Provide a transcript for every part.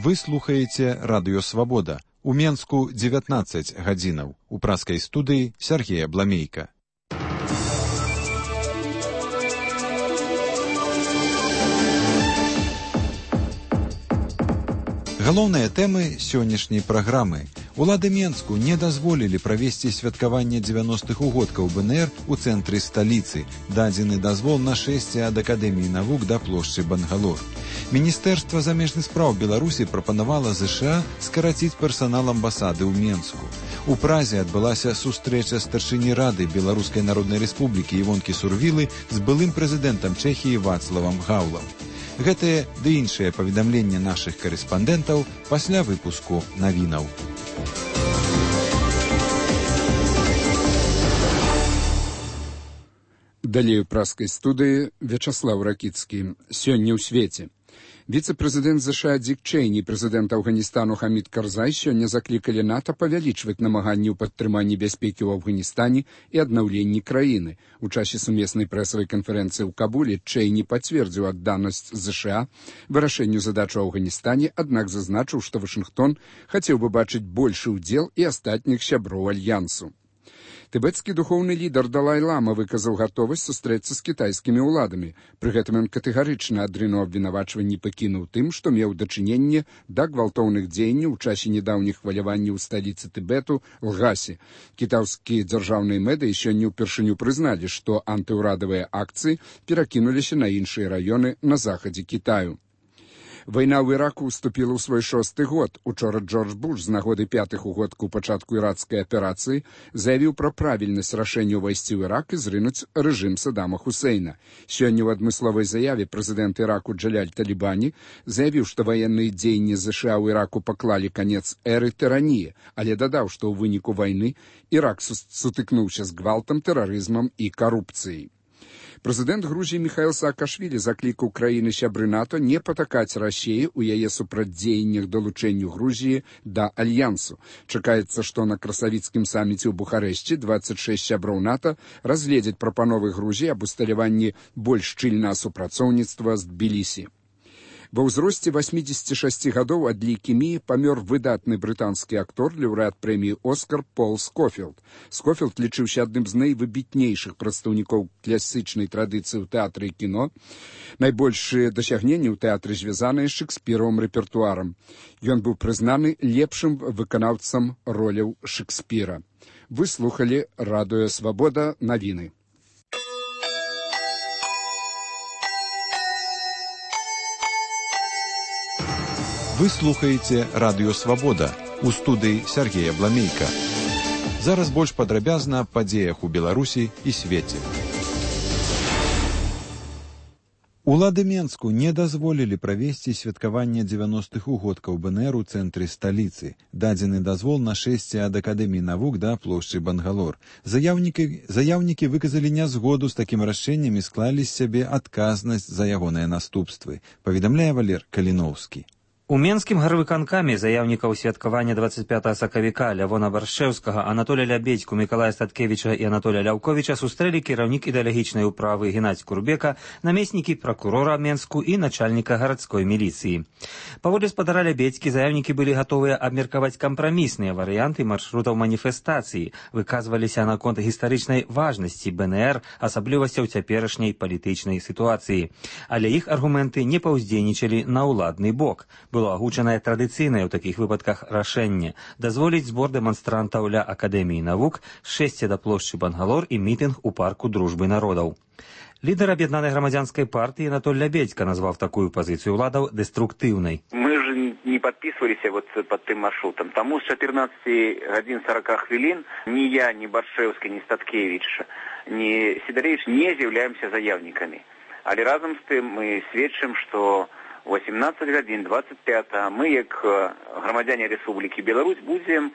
Вы слухаеце Радыё Свабода. У Менску 19 гадзінаў. У праскай студыі Сергея Бламейка. Галоўныя тэмы сённяшняй праграмы. Улады Менску не дазволілі правесці святкаванне 90-х угодкаў БНР у цэнтры сталіцы. Дадзены дазвол на шэсце ад Акадэміі навук да плошчы Бангалор. Міністэрства замежных спраў Беларусі прапанавала ЗША скараціць персанал амбасады ў Менску. У Празе адбылася сустрэча старшыні Рады Беларускай Народнай Рэспублікі Івонкі Сурвілы з былым прэзідэнтам Чэхіі Вацлавам Гаўлам. Гэтыя ды іншыя паведамленні нашых карэспандэнтаў пасля выпуску навінаў. Далей у праскай студыі Вячаслаў Ракіцкі. Сёння ў свеце. Віцэ-прэзідэнт ЗША Дик Чэйні і прэзідэнт Афганістану Хамід Карзай сёння заклікалі НАТО павялічваць намаганні ў падтрыманні бяспекі ў Афганістане і аднаўленні краіны. У часе сумеснай прэсавай канферэнцыі ў Кабуле Чэйні пацвердзіў адданасць ЗША вырашэнню задач у Афганістане, аднак зазначыў, што Вашынгтон хацеў бы бачыць большы ўдзел і астатніх сяброў альянсу. Тыбецкі духоўны лідар Далай-лама выказаў гатовасць сустрэцца з кітайскімі ўладамі. Пры гэтым ён катэгарычна адрынуў абвінавачванні Пекіну ў тым, што меў дачыненне да гвалтоўных дзеянняў у часе нядаўніх хваляванняў у сталіцы Тыбету Лгасе. Кітайскія дзяржаўныя медыі сёння ўпершыню прызналі, што антыўрадавыя акцыі перакінуліся на іншыя раёны на захадзе Кітаю. Вайна ў Іраку ўступіла ў свой 6-й год. Учора Джордж Буш з нагоды 5-х угодку пачатку іракскай аперацыі заявіў пра правільнасць рашэння ўвайсці ў Ірак і зрынуць рэжым Саддама Хусейна. Сёння ў адмысловай заяве прэзідэнт Іраку Джаляль Талібані заявіў, што ваенныя дзеянні ЗША ў Іраку паклалі канец эры тыраніі, але дадаў, што ў выніку вайны Ірак сутыкнуўся з гвалтам, тэрарызмам і карупцыяй. Прэзідэнт Грузіі Міхаіл Саакашвілі заклікаў краіны сябры НАТО не патакаць Расіі ў яе супрацьдзеяннях далучэнню Грузіі да альянсу. Чакаецца, што на красавіцкім саміце ў Бухарэшце 26 сяброў НАТО разгледзяць прапановы Грузіі аб усталяванні больш шчыльнага супрацоўніцтва з Тбілісі. Ва ўзросце 86 гадоў ад лейкеміі памёр выдатны брытанскі актор, лаўрэат прэміі «Оскар» Пол Скофілд. Скофілд лічыўся адным з найвыбітнейшых прадстаўнікоў класічнай традыцыі ў тэатры і кіно. Найбольшыя дасягненні ў тэатры звязаныя з шэкспіравым рэпертуарам. Ён быў прызнаны лепшым выканаўцам роляў Шэкспіра. Вы слухалі Радыё Свабода, навіны. Вы слухаеце Радыё Свабода. У студыі Сергея Бламейка. Зараз больш падрабязна аб падзеях у Беларусі і свеце. Улады Менску не дазволілі правесці святкаванне 90-х угодкаў БНР у цэнтры сталіцы. Дадзены дазвол на шэсце ад Акадэміі навук да плошчы Бангалор. Заяўнікі выказалі нязгоду з такім рашэннем і склалі з сябе адказнасць за ягоныя наступствы, паведамляе Валер Каліноўскі. У Менскім гарвыканкаме заяўнікаў святкавання 25 сакавіка Лявона Баршэўскага, Анатолія Лябедзьку, Мікалая Статкевіча і Анатолія Ляўковіча сустрэлі кіраўнік ідэалагічнай управы Геннадзь Курбека, намеснікі пракурора Менску і начальніка гарадской міліцыі. Паводле спадара Лябедзькі заяўнікі былі гатовыя абмеркаваць кампрамісныя варыянты маршрутаў маніфестацыі, выказваліся наконт гістарычнай важнасці БНР, асаблівасцяў цяперашняй палітычнай сітуацыі. Але іх аргументы не паўздзейнічалі на ўладны бок. Было агучанае традыцыйнае ў такіх выпадках рашэнне дазволіць збор дэманстрантаў ля Акадэміі навук, шэсце да плошчы Бангалор і мітынг у парку Дружбы народаў. Лідар аб'яднанай грамадзянскай партыі Анатоль Лябедзька назваў такую пазіцыю ўладаў дэструктыўнай. Мы же не подписывались вот под тым маршрутом. Тому с 14 годин 40 хвилин ни я, ни Баршэўскі, ни Статкевич, ни Сидоревич не з'яўляемся заявниками. Але разом з тым мы сведчым, што 18 гадзін 25 мы, як грамадзяне Рэспублікі Беларусь, будзем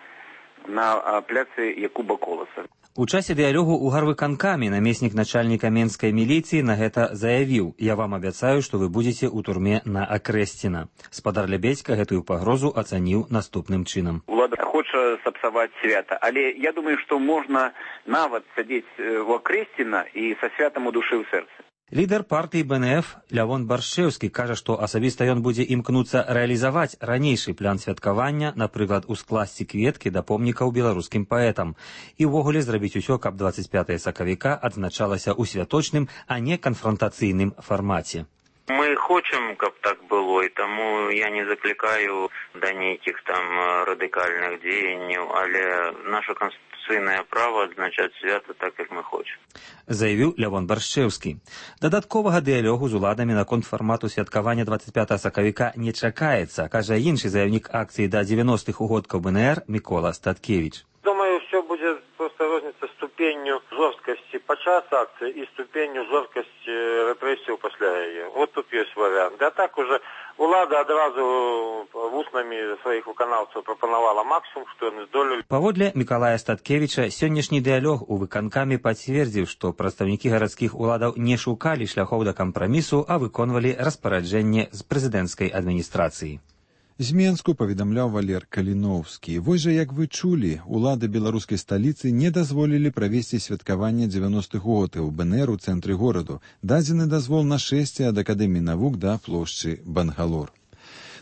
на пляцы Якуба Коласа. У часе дыялогу ў гарвыканкаме намеснік начальніка менскай міліцыі на гэта заявіў: «Я вам абяцаю, што вы будзеце ў турме на Акрэсціна». Спадар Лябедзька гэтую пагрозу ацаніў наступным чынам. Улада хоча сапсаваць свята, але я думаю, што можна нават сядзець у Акрэсціна і са святам у душы ў сэрцы. Лідар партыі БНФ Лявон Баршчэўскі кажа, што асабіста ён будзе імкнуцца рэалізаваць ранейшы план святкавання, напрыклад, ускласці кветкі да помнікаў беларускім паэтам, і ўвогуле зрабіць усё, каб 25 сакавіка адзначалася ў святочным, а не канфронтацыйным фармаце. Мы хочам, каб так было, і таму я не заклікаю да нейкіх там радыкальных дзеянняў, але наша конституцыйнае права адзначаць свята так, як мы хочам. Заявіў Лявон Баршчэўскі. Дадатковага дыялогу з уладамі наконт фармату святкавання 25 сакавіка не чакаецца, кажа іншы заявнік акцыі да 90-х угодкаў БНР Мікола Статкевіч. Думаю, все будет просто розница ступенью жесткости подчас акции и ступенью жесткости репрессий после ее. Вот тут есть вариант. Да так уже влада одразу вуснами своих выканаўцаў прапанавала максимум, что они здолелі. Паводле Мікалая Статкевіча, сённяшні дыялог у выканкамі пацвердзіў, што прадстаўнікі гарадскіх уладаў не шукалі шляхоў да кампрамісу, а выконвалі распараджэнне з прэзідэнцкай адміністрацыі. З Менску паведамляў Валер Каліноўскі. Вось жа, як вы чулі, улады беларускай сталіцы не дазволілі правесці святкаванне 90-х годкаў БНР у цэнтры гораду. Дадзены дазвол на шэсце ад Акадэміі навук да плошчы Бангалор.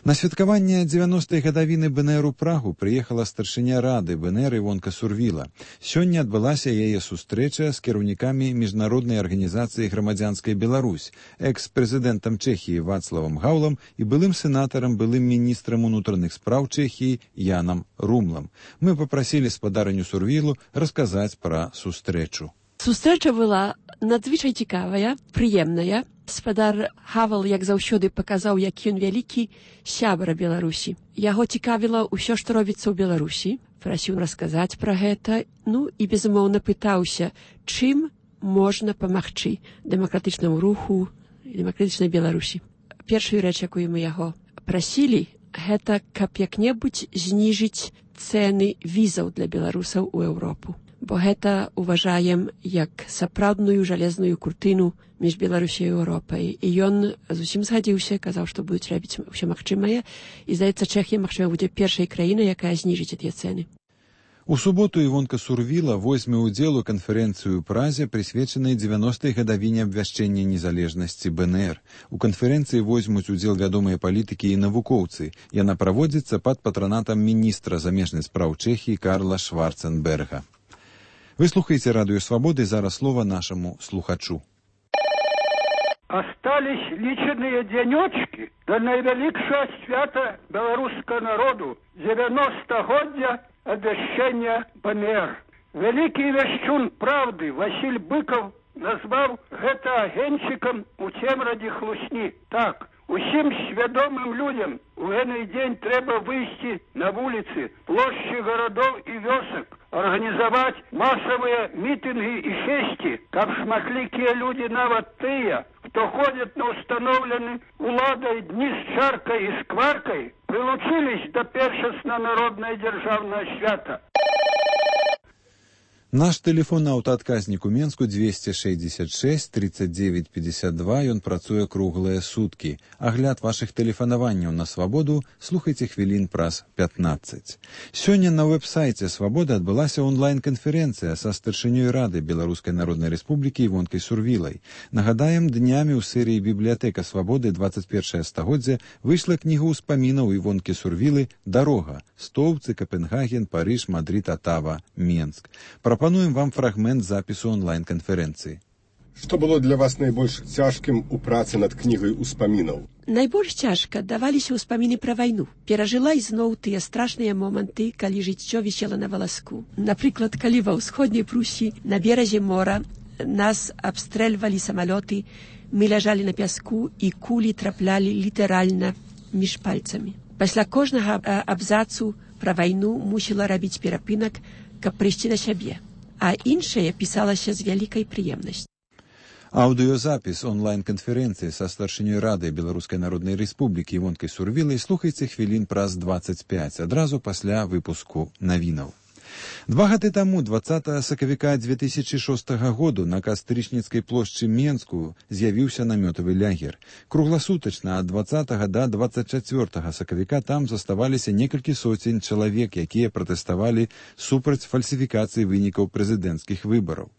На святкаванне 90-й гадавіны БНР у Прагу прыехала старшыня рады БНР Івонка Сурвіла. Сёння адбылася яе сустрэча з кіраўнікамі міжнароднай арганізацыі «Грамадзянская Беларусь», экс-прэзідэнтам Чэхіі Вацлавам Гаўлам і былым сенатарам, былым міністрам унутраных спраў Чэхіі Янам Румлам. Мы папрасілі спадарыню Сурвілу расказаць пра сустрэчу. Сустрэча была надзвычай цікавая, прыемная. Спадар Хавал, як заўсёды, паказаў, які ён вялікі сябра Беларусі. Яго цікавіла ўсё, што робіцца ў Беларусі. Прасіў расказаць пра гэта, і, безумоўна, пытаўся, чым можна памагчы дэмакратычнаму руху і дэмакратычнай Беларусі. Першую рэч, якую мы яго прасілі, гэта каб як-небудзь зніжыць цэны візаў для беларусаў у Еўропу. Бо гэта уважаем як сапраўдную жалезную куртыну між Беларусі і Еўропай. І ён зусім згадзіўся, казаў, што будуць рабіць ўсё магчымае. І, здаецца, Чэхія, магчыма, будзе першай краінай, якая зніжыць тыя цэны. У суботу Івонка Сурвіла возьме ўдзел у канферэнцыю ў Празе, прысвечанай 90-й гадавіне абвяшчэння незалежнасці БНР. У канферэнцыі возьмуць удзел вядомыя палітыкі і навукоўцы. Яна праводзіцца пад патранатам міністра замежных спраў Чэхіі Карла Шварценберга. Вы слухаеце Радыё Свабоды, зараз слова нашаму слухачу. Остались лічаныя дзянёчкі да найвялікшага свята беларускага народу 90-годдзя абвяшчэння БНР. Вялікі вяшчун правды Васіль Быкаў назваў гэта агеньчыкам у цемрадзе хлусні. Так, усім свядомым людям у гэты дзень трэба выйсці на вуліцы, плошчы гарадоў і вёсак, арганізаваць масавыя мітынгі і фесці, каб шматлікія людзі, нават тыя, хто ходзяць на ўстаноўлены уладай дні з чаркай і скваркай, прылучылись да першасна народнае дзяржаўнае свята. Наш тэлефон аўтаадказнік у Менску 266 39 52, ён працуе круглыя суткі. Агляд вашых тэлефанаванняў на Свабоду слухайце хвілін праз 15. Сёння на вэб-сайце Свабоды адбылася онлайн-канферэнцыя са старшынёй рады Беларускай Народнай Рэспублікі Івонкай Сурвілай. Нагадаем, днямі ў серыі «Бібліятэка Свабоды 21 стагоддзя» выйшла кніга ўспамінаў Івонкі Сурвілы «Дарога. Стоўцы, Капенгаген, Парыж, Мадрид, Атава, Менск». Прапануем вам фрагмент запісу онлайн-канферэнцыі. Што было для вас найбольш цяжкім у працы над кнігай успамінаў? Найбольш цяжка даваліся ўспаміны пра вайну. Перажыла ізноў тыя страшныя моманты, калі жыццё вісела на валаску. Напрыклад, калі ва ўсходняй Прусі на беразе мора нас абстрэльвалі самалёты, мы ляжалі на пяску і кулі траплялі літаральна між пальцамі. Пасля кожнага абзацу пра вайну мусіла рабіць перапынак, каб прыйсці да сябе, а іншае пісалася з вялікай прыемнасцю. Аўдыёзапіс онлайн-канферэнцыі са старшынёй рады Беларускай Народнай Рэспублікі Івонкай Сурвілай слухайце хвілін праз 25, адразу пасля выпуску навінаў. 2 гады таму, 20 сакавіка 2006 году, на Кастрычніцкай плошчы Менску з'явіўся намётавы лагер. Кругласутачна ад 20 да 24 сакавіка там заставаліся некалькі соцень чалавек, якія пратэставалі супраць фальсіфікацыі вынікаў прэзідэнцкіх выбараў.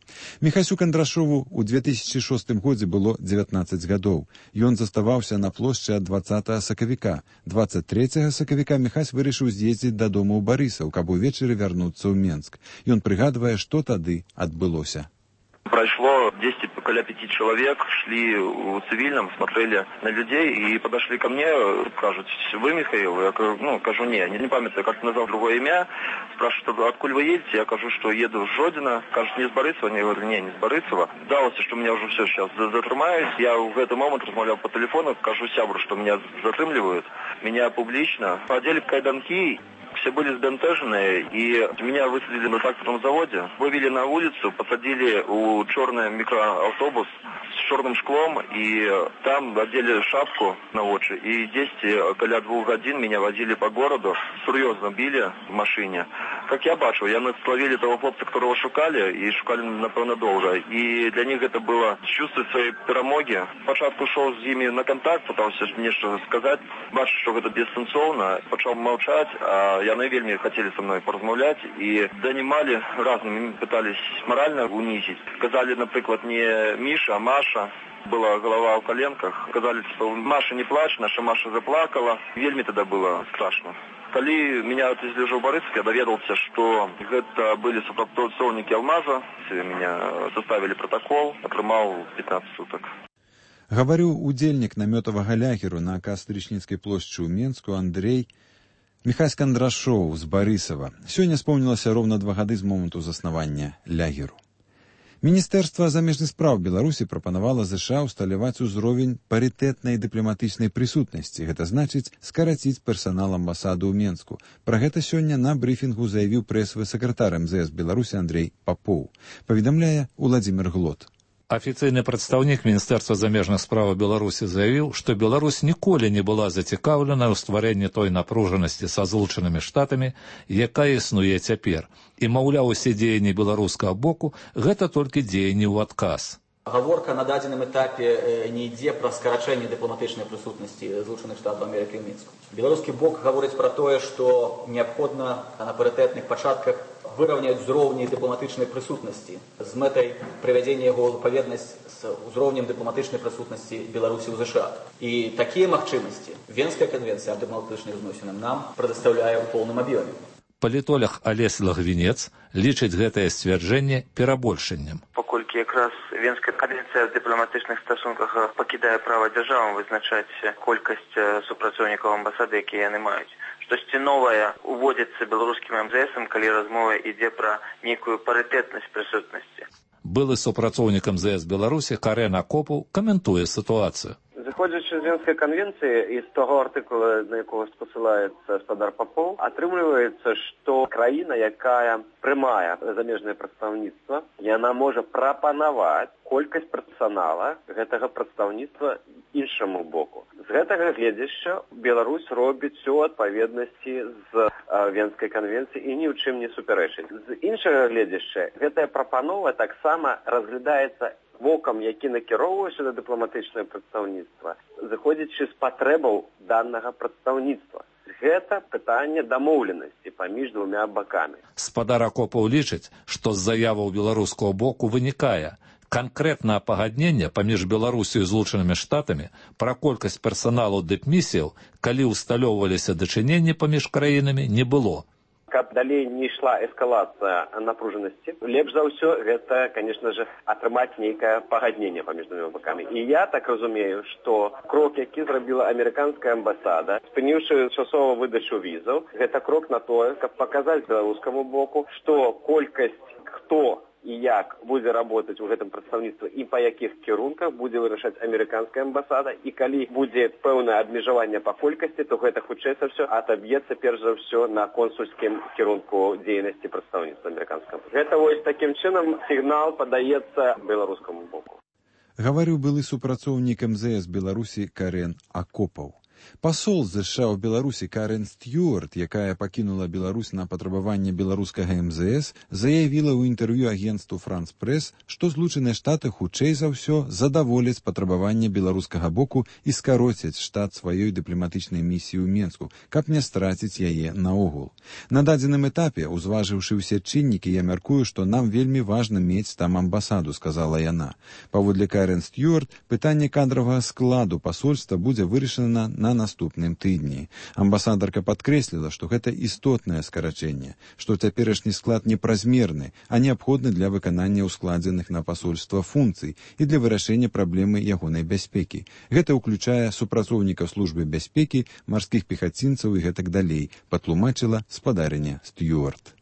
Міхасю Кандрашову ў 2006 годзе было 19 гадоў. Ён заставаўся на плошчы ад 20 сакавіка. 23 сакавіка Міхась вырашыў з'ездзіць дадому ў Барысаў, каб увечары вярнуцца ў Менск. Ён прыгадвае, што тады адбылося. Прошло 10 около 5 человек, шли в цивильном, смотрели на людей и подошли ко мне, скажут, вы Михаил? Я кажу, не памятаю, как назвал другое имя. Спрашивают, откуда вы едете? Я кажу, что еду с Жодина. Кажут, не с Борисова? Я говорю, не с Борисова. Далось, что меня уже все сейчас затрымаюсь. Я в этот момент размовлял по телефону, скажу сябру, что меня затрымливают. Меня публично одели в кайданки. Все были сбентежены, и меня высадили на тракторном заводе, вывели на улицу, посадили у черный микроавтобус с черным шклом, и там одели шапку на очи, и 10 около 2 годин меня возили по городу, серьезно били в машине. Как я бачу, яны словили того хлопца, которого шукали, и шукали, напевно, долго. И для них это было чувствовать своей перемоги. Спочатку шел с ними на контакт, пытался мне что сказать, бачу, что это бессенсовно, почал молчать, а яны вельми хотели со мной поразмовлять и донимали разными, пытались морально унизить. Сказали, например, не Миша, а Маша. Была голова в коленках. Сказали, что Маша не плачь, наша Маша заплакала. Вельми тогда было страшно. Коли меня отвезли в Борисов, я доведался, что это были сопроводники Алмаза. Меня составили протокол, отрымал 15 суток. Гаварыў удзельнік намётавага лагеру на Кастрычніцкай плошчы ў Менску Андрей Міхась Кандрашоў з Барысава. Сёння спомнілася роўна 2 гады з моманту заснавання лагеру. Міністэрства замежных спраў Беларусі прапанавала ЗША ўсталяваць узровень парытэтнай дыпламатычнай прысутнасці. Гэта значыць скараціць персанал амбасады ў Менску. Пра гэта сёння на брыфінгу заявіў прэсавы сакратар МЗС Беларусі Андрей Папоў. Паведамляе Уладзімир Глот. Афіцыйны прадстаўнік Міністэрства замежных спраў Беларусі заявіў, што Беларусь ніколі не была зацікаўлена ў стварэнні той напружанасці са Злучанымі Штатамі, якая існуе цяпер. І, маўляў, усе дзеянні беларускага боку – гэта толькі дзеянні ў адказ. Гаворка на дадзеным этапе не ідзе пра скарачэнне дыпламатычнай прысутнасці Злучаных Штатаў Амерыкі ў Мінску. Беларускі бок гаворыць пра тое, што неабходна на парытэтных пачатках выраўняць узроўні дыпламатычнай прысутнасці з мэтай прывядзення яго ў адпаведнасць з узроўнем дыпламатычнай прысутнасці Беларусі ў ЗША. І такія магчымасці Венская канвенцыя аб дыпламатычных зносінах нам прадастаўляе ў поўным аб'ёме. Палітолог Алесь Лагвінец лічыць гэтае сцвярджэнне перабольшаннем. Паколькі якраз Венская канвенцыя ў дыпламатычных стасунках пакідае права дзяржавам вызначаць колькасць супрацоўнікаў амбасады, якія яны маюць. Штосьці новае уводзіцца беларускім МЗСам, калі размова ідзе пра нейкую парытэтнасць прысутнасці. Былы супрацоўнік МЗС Беларусі Карен Акопаў каментуе сітуацыю. Заходзячы з Венскай канвенцыі і з таго артыкула, на якога спасылаецца гаспадар Папоў, атрымліваецца, што краіна, якая прымае замежнае прадстаўніцтва, яна можа прапанаваць колькасць персанала гэтага прадстаўніцтва іншаму боку. З гэтага гледзяшча Беларусь робіць усё ў адпаведнасці з Венскай канвенцыі і ні ў чым не супярэчыць. З іншага гледзяшча гэтая прапанова таксама разглядаецца вокам, які накіроўваўся на дыпламатычнае прадстаўніцтва, заходзячы з патрэбаў данага прадстаўніцтва. Гэта пытанне дамоўленасці паміж двумя бакамі. Гаспадар Акопаў лічыць, што з заяваў беларускага боку вынікае канкрэтнае пагадненне паміж Беларусю і Злучанымі Штатамі пра колькасць персаналу дыпмісіяў, калі ўсталёўваліся дачыненні паміж краінамі, не было. Каб далей не ішла эскалацыя напружанасці, лепш за ўсё гэта, конечно же, атрымаць нейкае пагадненне паміж двумя бакамі. І я так разумею, што крок, які зрабіла амерыканская амбасада, спыніўшы часова выдачу візаў, гэта крок на тое, каб паказаць беларускаму боку, што колькасць хто і як будзе работаць у гэтым прадстаўніцтве і па якіх кірунках будзе вырашаць амерыканская амбасада, і калі будзе пэўнае абмежаванне па колькасці, то гэта хутчэй за ўсё атаб'ецца перш за ўсё на консульскім кірунку дзейнасці прадстаўніцтва амерыканскага. Гэта вось такім чынам сігнал падаецца беларускаму боку. Гаварыў былы супрацоўнік МЗС Беларусі Карен Акопаў. Пасол ЗША ў Беларусі Карен Стюарт, якая пакінула Беларусь на патрабаванне беларускага МЗС, заявіла ў інтэрв'ю агенцтву «Франс Прэс», што Злучаныя Штаты хутчэй за ўсё задаволяць патрабаванне беларускага боку і скароцяць штат сваёй дыпламатычнай місіі ў Менску, каб не страціць яе наогул. На дадзеным этапе, узважыўшы ўсе чыннікі, я мяркую, што нам вельмі важна мець там амбасаду, сказала яна. Паводле Карен Стюарт, пытанне кадравага складу пасольства будзе вырашана на наступным тыдні. Амбасадарка падкрэсліла, што гэта істотнае скарачэнне, што цяперашні склад не празмерны, а неабходны для выканання ускладзеных на пасольства функцый і для вырашэння праблемы ягонай бяспекі. Гэта ўключае супрацоўнікаў службы бяспекі, марскіх пехацінцаў і гэтак далей, патлумачыла спадарыня Стюарт.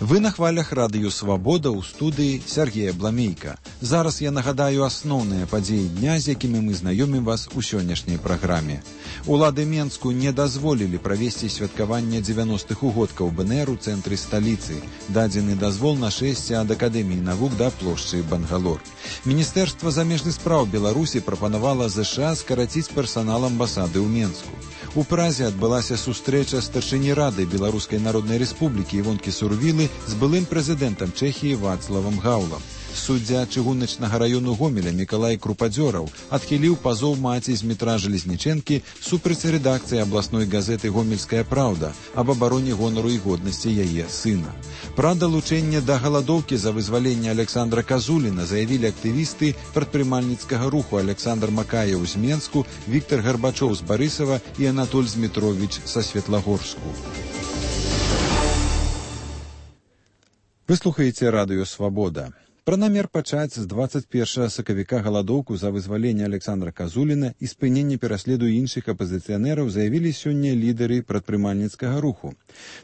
Вы на хвалях радыё «Свабода» ў студыі Сергея Бламейка. Зараз я нагадаю асноўныя падзеі дня, з якімі мы знаёмім вас у сённяшняй праграме. Улады Менску не дазволілі правесці святкаванне 90-х угодкаў БНР у цэнтры сталіцы. Дадзены дазвол на шэсце ад Акадэміі навук да плошчы Бангалор. Міністэрства замежных спраў Беларусі прапанавала ЗША скараціць персанал амбасады ў Менску. У Празе адбылася сустрэча старшыні рады Беларускай Народнай Рэспублікі Івонкі Сурвілы з былым прэзідэнтам Чэхіі Вацлавам Гаўлам. Суддзя чыгуначнага раёну Гомеля Мікалай Крупадзёраў адхіліў пазоў маці з метра Жалезнічэнкі супраць рэдакцыі абласной газеты «Гомельская праўда» аб абароне гонару і годнасці яе сына. Пра далучэнне да галадоўкі за вызваленне Александра Казуліна заявілі актывісты прадпрымальніцкага руху Александр Макаеў з Менску, Віктор Гарбачоў з Барысава і Анатоль Змітровіч са Светлагорску. Вы слухаеце радыё «Свабода». Пра намер пачаць з 21 сакавіка галадоўку за вызваленне Александра Казуліна і спыненне пераследу іншых апазіцыянераў заявілі сёння лідары прадпрымальніцкага руху.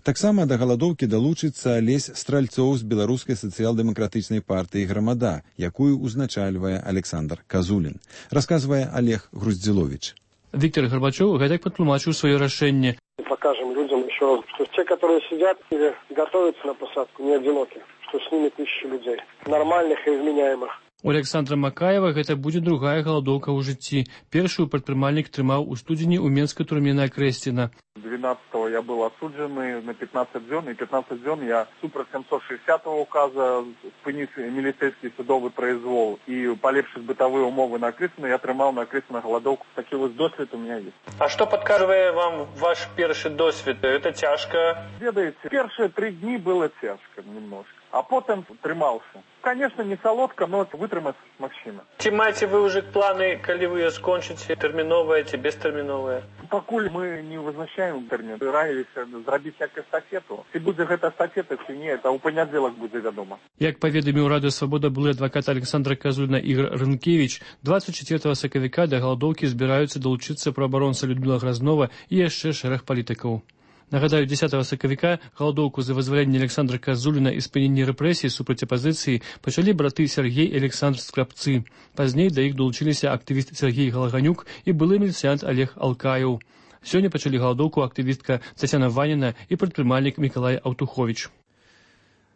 Таксама да галадоўкі далучыцца Алесь Стральцоў з беларускай сацыял-дэмакратычнай партыі «Грамада», якую узначальвае Александр Казулін. Расказвае Олег Груздзіловіч. Виктор Горбачев гэтак патлумачыў сваё рашэнне. Покажем людям еще раз, что те, которые сидят или готовятся на посадку, не одиноки, что с ними тысячи людей, нормальных и вменяемых. У Александра Макаева гэта будзе другая галадоўка ў жыцці. Першую прадпрымальнік трымаў у студзені ў менскай турме на Крэсціна. 12-го я был осуджены на 15 дзён, и 15 дзён я супраць 760-го указа спыніць міліцэйскі судовы произвол и полепшыць бытавыя умовы на Крэсціна, я трымаў на Крэсціна галадоўку. Такі вот досвід у меня есть. А что подказывает вам ваш першы досвід? Это тяжко? Ведаеце, первые 3 дні было тяжко немножко, а потом трымаўся. Конечно, не солодко, но вытрымаць магчыма. Ці маеце вы ўжо планы, калі вы скончыце, тэрміновыя ці бестэрміновыя? Пакуль мы не вызначаем тэрмін, раіліся зрабіць як эстафету. Ці будзе гэта эстафета, ці не, это ў панядзелак будзе вядома. Як паведаміў радыё «Свабода» былы адвакат Александра Казуліна Ігор Рынкевіч, 24 сакавіка да галадоўкі збіраюцца далучыцца праабаронца Людміла Гразнова і яшчэ шэраг палітыкаў. Нагадаю, 10 сакавіка галадоўку за вызваленне Александра Казуліна і спыненне рэпрэсій супраць апазіцыі пачалі браты Сергей і Александр Скрабцы. Пазней да іх долучыліся актывіст Сергей Галаганюк і былы міліцыянт Олег Алкаеў. Сёння пачалі галадоўку актывістка Цяцяна Ваніна і прадпрымальнік Мікалай Аўтуховіч.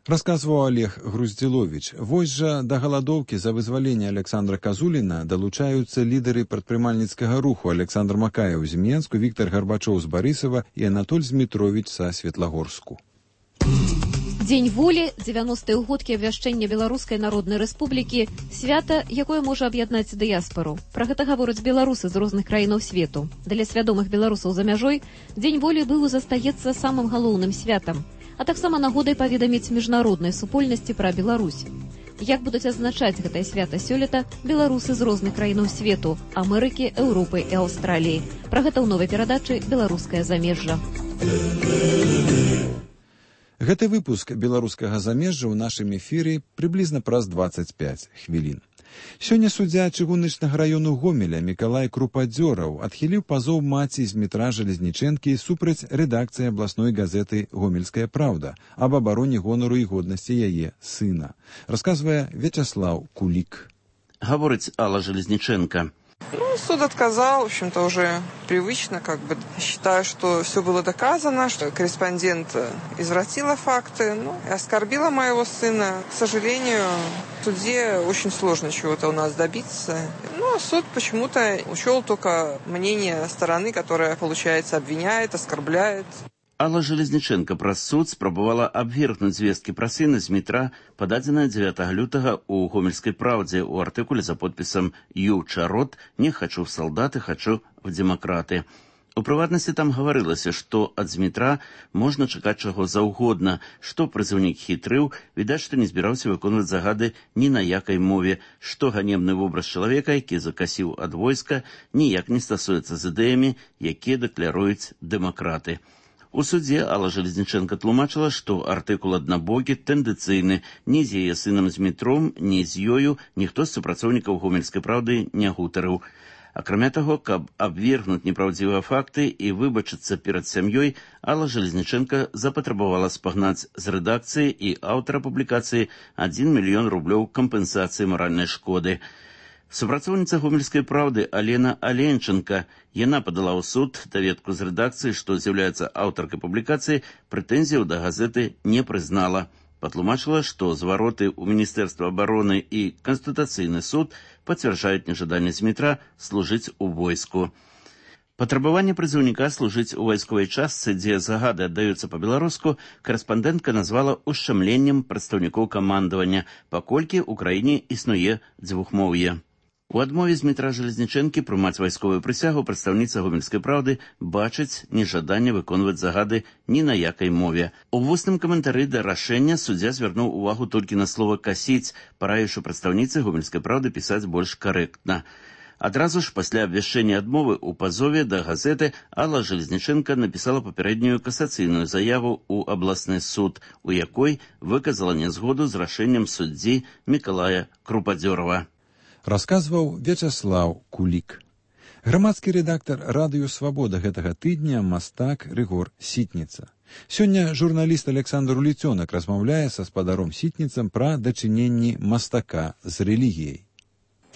Расказваў Олег Груздзіловіч. Вось жа да галадоўкі за вызваленне Александра Казуліна далучаюцца лідары прадпрымальніцкага руху Александр Макаеў з Менску, Віктор Гарбачоў з Барысава і Анатоль Змітровіч са Светлагорску. Дзень волі, 90-е ўгодкі абвяшчэння Беларускай Народнай Рэспублікі, свята, якое можа аб'яднаць дыяспару. Пра гэта гавораць беларусы з розных краінаў свету. Для свядомых беларусаў за мяжой Дзень волі быў і застаецца самым галоўным святам, а таксама нагодай паведаміць міжнароднай супольнасці пра Беларусь. Як будуць адзначаць гэтае свята сёлета беларусы з розных краінаў свету, Амерыкі, Еўропы і Аўстраліі. Пра гэта ў новай перадачы «Беларускае замежжа». Гэты выпуск беларускага замежжа ў нашым эфіры прыблізна праз 25 хвілін. Сёння суддзя чыгуначнага раёну Гомеля Мікалай Крупадзёраў адхіліў пазоў маці з метра Жалезнічэнкі супраць рэдакцыі абласной газеты «Гомельская праўда» аб абароне гонару і годнасці яе сына. Расказвае Вячаслаў Кулік. Гаворыць Алла Жалезнічэнка. Суд отказал, в общем-то, уже привычно, считаю, что все было доказано, что корреспондент извратила факты, и оскорбила моего сына. К сожалению, в суде очень сложно чего-то у нас добиться. Суд почему-то учел только мнение стороны, которая, получается, обвиняет, оскорбляет. Алла Железніченка праз суд спрабавала абвергнуць звесткі пра сына з метра, пададзеныя 9 лютага ў Гомельскай праўдзе ў артыкуле за подпісам «Ю Чарот, не хочу в салдаты, хочу в демократы». У прыватнасці там гаварылася, што ад Змітра можна чакаць чаго заўгодна, што прызыўнік хітрыў, відаць, што не збіраўся выконваць загады ні на якай мове, што ганебны вобраз чалавека, які закасіў ад войска, ніяк не стасуецца з ідэямі, якія дакляруюць дэмакраты. У судзе Алла Железніченка тлумачыла, што артыкул аднабокі, тэндэнцыйны, ні з яе сынам Змітром, ні з ёю ніхто з супрацоўнікаў Гомельскай праўды не гутарыў. Акрамя таго, каб абвергнуць непраўдзівыя факты і выбачыцца перад сям'ёй, Алла Железніченка запатрабавала спагнаць з рэдакцыі і аўтара публікацыі 1 мільён рублёў кампенсацыі маральнай шкоды. Супрацоўніца Гомельскай праўды Алена Аленченка, яна падала ў суд даведку з рэдакцыі, што з'яўляецца аўтаркай публікацыі, прэтэнзіяў да газеты не прызнала. Патлумачыла, што звароты ў Міністэрства абароны і Канстытуцыйны суд пацвярджаюць нежаданне Змітра служыць у войску. Патрабаванне прызыўніка служыць у вайсковай частцы, дзе загады аддаюцца па-беларуску, карэспандэнтка назвала ушчамленнем прадстаўнікоў камандавання, паколькі ў краіне існуе дзвюхмоўе. У адмове Змітра Железнічэнкі прымаць вайсковую прысягу прадстаўніца Гомельскай праўды бачыць нежаданне выконваць загады ні на якай мове. У вусным каментары да рашэння суддзя звярнуў увагу толькі на слова «касіць», параіўшы прадстаўніцы Гомельскай праўды пісаць больш карэктна. Адразу ж пасля абвяшчэння адмовы ў пазове да газеты Алла Железніченка напісала папярэднюю касацыйную заяву ў абласны суд, у якой выказала нязгоду з рашэннем суддзі Мікалая Крупадзёрава. Расказваў Вячаслаў Кулік. Грамадскі рэдактар радыё «Свабода» гэтага тыдня мастак Рыгор Сітніца. Сёння журналіст Александр Уліцёнак размаўляе са спадаром Сітніцам пра дачыненні мастака з рэлігіяй.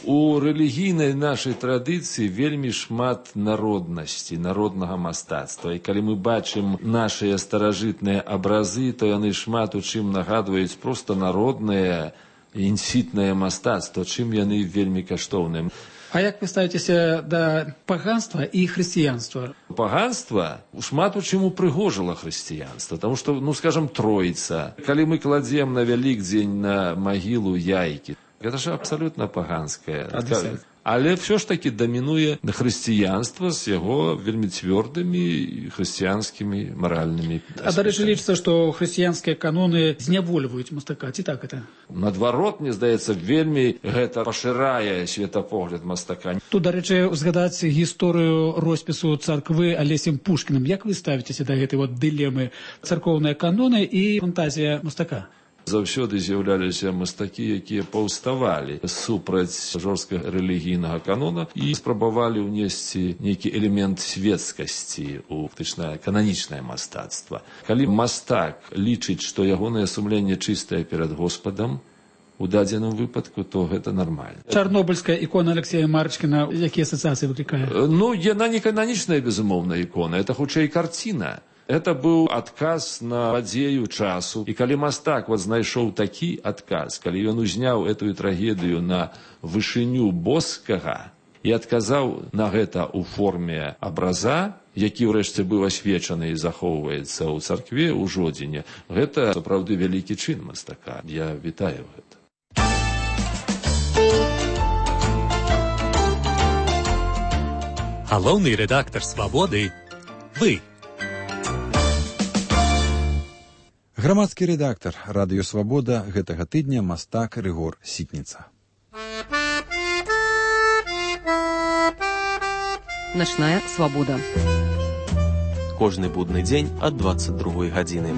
У рэлігійнай нашай традыцыі вельмі шмат народнасці, народнага мастацтва. І калі мы бачым нашыя старажытныя абразы, то яны шмат у чым нагадваюць проста народнае інсітнае мастацтва, чым яны вельмі каштоўныя. А як вы ставіцеся да паганства і хрысціянства? Паганства шмат у чым упрыгожыла хрысціянства, таму што, скажам, Троіца. Калі мы кладзем на Вялікдзень на магілу яйкі, гэта ж абсалютна паганскае. Але ўсё ж такі дамінуе хрысціянства з яго вельмі цвёрдымі хрысціянскімі маральнымі аспектамі. Дарэчы, лічыцца, што хрысціянскія каноны знявольваюць мастака, ці так гэта? Наадварот, мне здаецца, вельмі гэта пашырае светапогляд мастака. Тут, дарэчы, узгадаць гісторыю роспісу царквы Алесем Пушкіным. Як вы ставіцеся да гэтай дылемы царкоўныя каноны і фантазія мастака? Заўсёды з'яўляліся мастакі, якія паўставалі супраць жорсткага рэлігійнага канона і спрабавалі ўнесці нейкі элемент светскасці ў фактычнае кананічнае мастацтва. Калі мастак лічыць, што ягонае сумленне чыстае перад Господам, у дадзеным выпадку, то гэта нармальна. Чарнобыльская ікона Алексея Марчкіна, якія асацыяцыі выклікае? Яна не кананічная, безумоўна, ікона, это хутчэй карціна. Это быў адказ на падзею часу. І калі мастак знайшоў такі адказ, калі ён узняў эту трагедыю на вышыню боскага і адказаў на гэта ў форме абраза, які ўрэшце быў асвечаны і захоўваецца ў царкве ў Жодзіне, гэта сапраўды вялікі чын мастака. Я вітаю гэта. Галоўны рэдактар «Свабоды» – вы. Грамадскі рэдактар радыё «Свабода» гэтага тыдня мастак Рыгор Сітніца. Начная свабода. Кожны будны дзень ад 22 гадзіны.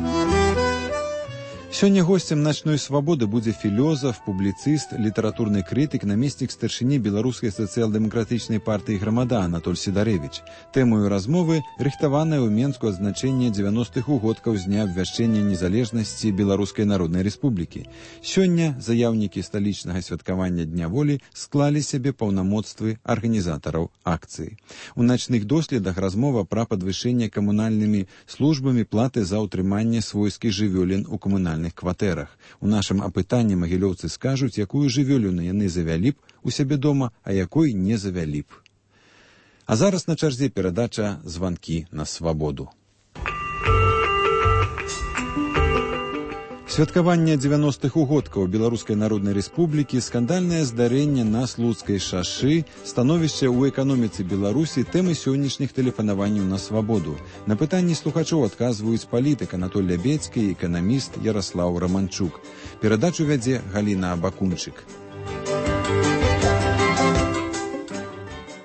Сёння гостем «Начной свободы» будзе філёзаф, публіцыст, літаратурны крытык, намеснік старшыні беларускай сацыял-дэмакратычнай партыі «Грамада» Анатоль Сідарэвіч. Тэмою размовы рыхтаванае ў Менску адзначэнне 90-х угодкаў з дня абвяшчэння незалежнасці Беларускай Народнай Рэспублікі. Сёння заяўнікі сталічнага святкавання Дня волі склалі сябе паўнамоцтвы арганізатараў акцыі. У начных доследах размова пра падвышэнне камунальнымі службамі платы за ўтрыманне свойскіх жывёлін у камунальных кватэрах. У нашым апытанні магілёўцы скажуць, якую жывёліну яны завялі б у сябе дома, а якой не завялі б. А зараз на чарзе перадача «Званкі на свабоду». Святкаванне 90-х угодкаў Беларускай Народнай Рэспублікі, скандальнае здарэнне на Слуцкай шашы, становішча ў эканоміцы Беларусі, тэмы сённяшніх тэлефанаванняў на свабоду. На пытанні слухачоў адказваюць палітык Анатоль Лябедзькі і эканаміст Яраслаў Раманчук. Перадачу вядзе Галіна Абакунчык.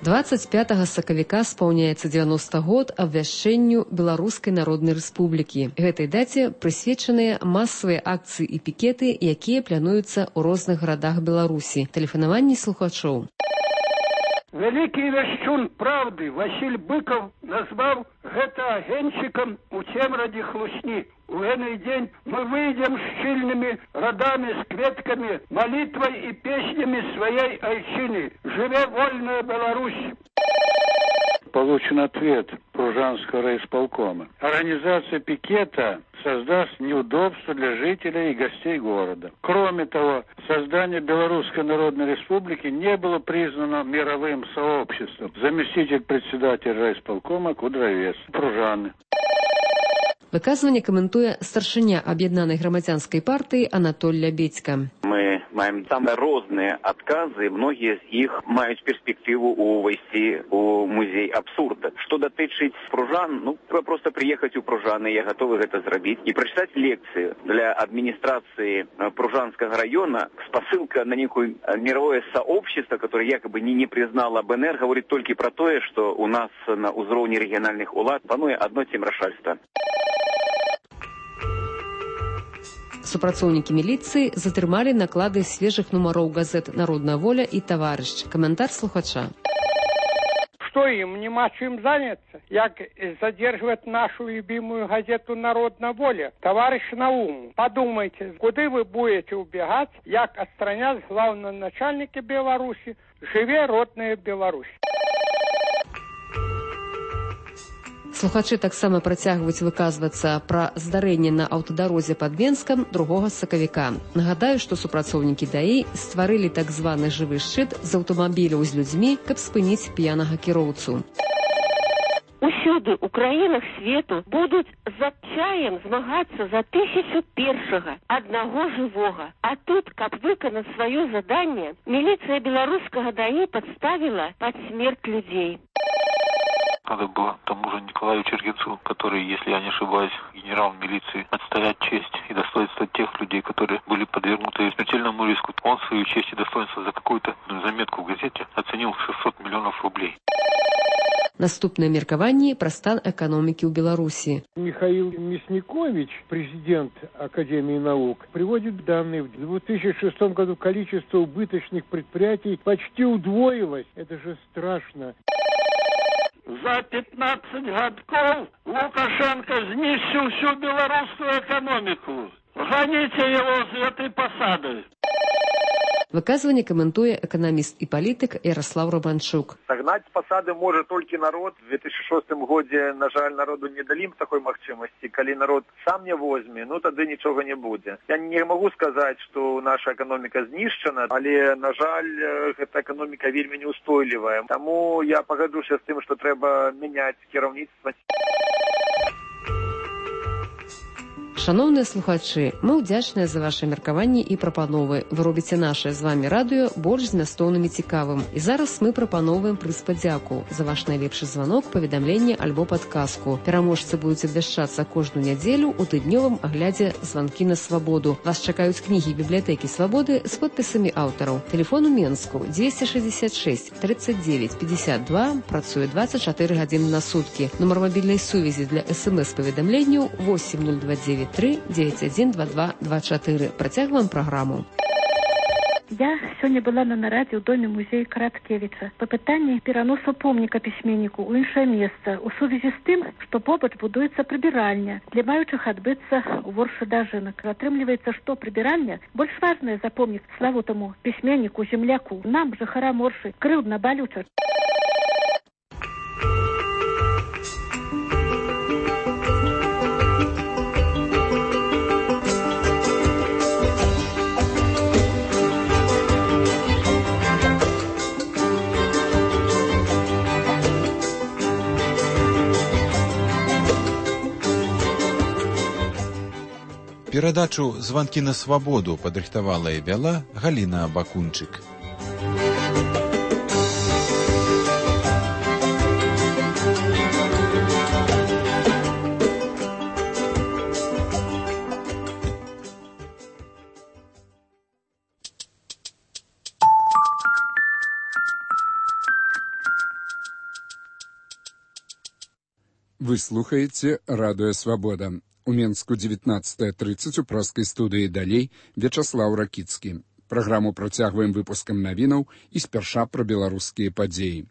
25 сакавіка спаўняецца 90 год абвяшчэнню Беларускай Народнай Рэспублікі. Гэтай даце прысвечаныя масавыя акцыі і пікеты, якія плануюцца ў розных гарадах Беларусі. Тэлефанаванні слухачоў. Вялікі вяшчун правды Васіль Быкаў назваў гэта агеньчыкам у цемрадзе хлусні. У гэты дзень мы выйдзем шчыльнымі радамі з кветкамі, малітвай і песнямі сваей айчыны. Жыве вольная Беларусь! Получен ответ Пружанского райисполкома. Организация пикета создаст неудобства для жителей и гостей города. Кроме того, создание Белорусской Народной Республики не было признано мировым сообществом. Заместитель председателя райисполкома Кудровец. Пружаны. Выказванне каментуе старшыня аб'яднанай грамадзянскай партыі Анатоль Лябедзька. Мы маем самые розныя адказы, многія з іх маюць перспектыву увайсці у музей абсурда. Што датычыць пружан, трэба проста прыехаць у Пружаны, я гатовы гэта зрабіць, і прачытаць лекцыю для адміністрацыі Пружанскага района. Спасылка на некое мировое сообщество, которое якобы не признало БНР, говорит только про то, что у нас на узроўні рэгіянальных улад пануе адно цемрашальства. Супрацоўнікі міліцыі затрымалі наклады свежых нумароў газет «Народная воля» и «Товарищ». Комментар слухача. Что им, нема чем заняться? Як задерживать нашу любимую газету «Народная воля», «Товарищ Наум». Подумайте, куда вы будете убегать, як отстранять главного начальника Беларуси, живе родная Беларусь. Слухачы таксама працягваюць выказвацца пра здарэнне на аўтадарозе пад Менскам 2 сакавіка. Нагадаю, што супрацоўнікі ДАІ стварылі так званы жывы шчыт з аўтамабіляў з людзьмі, каб спыніць п'янага кіроўцу. Усюды ў краінах свету будуць з адчаем змагацца за 1001-га аднаго жывога. А тут, каб выканаць сваё заданне, міліцыя беларускага ДАІ падставіла пад смерць людзей. Надо было тому же Николаю Чергенцу, который, если я не ошибаюсь, генерал милиции, отстоять честь и достоинство тех людей, которые были подвергнуты смертельному риску. Он свою честь и достоинство за какую-то заметку в газете оценил в 600 миллионов рублей. Наступнае меркаванне пра стан эканомікі ў Беларусі. Михаил Мясникович, президент Академии наук, приводит данные. В 2006 году количество убыточных предприятий почти удвоилось. Это же страшно. За 15 годков Лукашенко знищил всю белорусскую экономику. Гоните его с этой посады. Выказванне каментуе эканаміст і палітык Яраслаў Раманчук. Сагнаць з пасады можа толькі народ. В 2006 годзе, на жаль, народу не далі такой магчымасці. Калі народ сам не возьме, тады нічога не будзе. Я не магу сказаць, што наша эканоміка знішчана, але, на жаль, гэта эканоміка вельмі неустойлівая. Таму я пагаджуся з тым, што трэба мяняць кіраўніцтва. Шановныя слухачы, мы ўдзячныя за ваши меркаванні і прапановы. Вы робіце наше з вами радыё больш змястоўным і цікавым. І зараз мы прапановваем прыз падзяку за ваш найлепшы званок, паведамленне альбо падказку. Пераможцы будуць абвяшчацца кожную нядзелю ў тыднёвым аглядзе «Званкі на свабоду». Вас чакаюць кнігі бібліятэкі свабоды з подпісамі аўтараў. Телефон у Менску 266 39 52, працуе 24 гадзіны на суткі. Нумар мабільнай сувязі для СМС-паведамленняў 8029 993 91 22 24. Працягваем праграму. Я сёння была на нарадзе ў доме музея Караткевіча па пытанні пераносу помніка пісьменніку ў іншае месца у сувязі з тым, што побач будуецца прыбіральня для маючых адбыцца ў воршы дажынак. Атрымліваецца, што прыбіральня больш важная за помнік славутаму пісьменніку, земляку. Нам, жыхарам Оршы, крыўдна, балюча. Перадачу «Званкі на свабоду» падрыхтавала і вяла Галіна Бакунчык. Вы слухаеце радыё «Свабода». У Менску 19:30 у праскай студыі «Далей» Вячаслаў Ракіцкі. Праграму працягваем выпускам навінаў і спярша пра беларускія падзеі.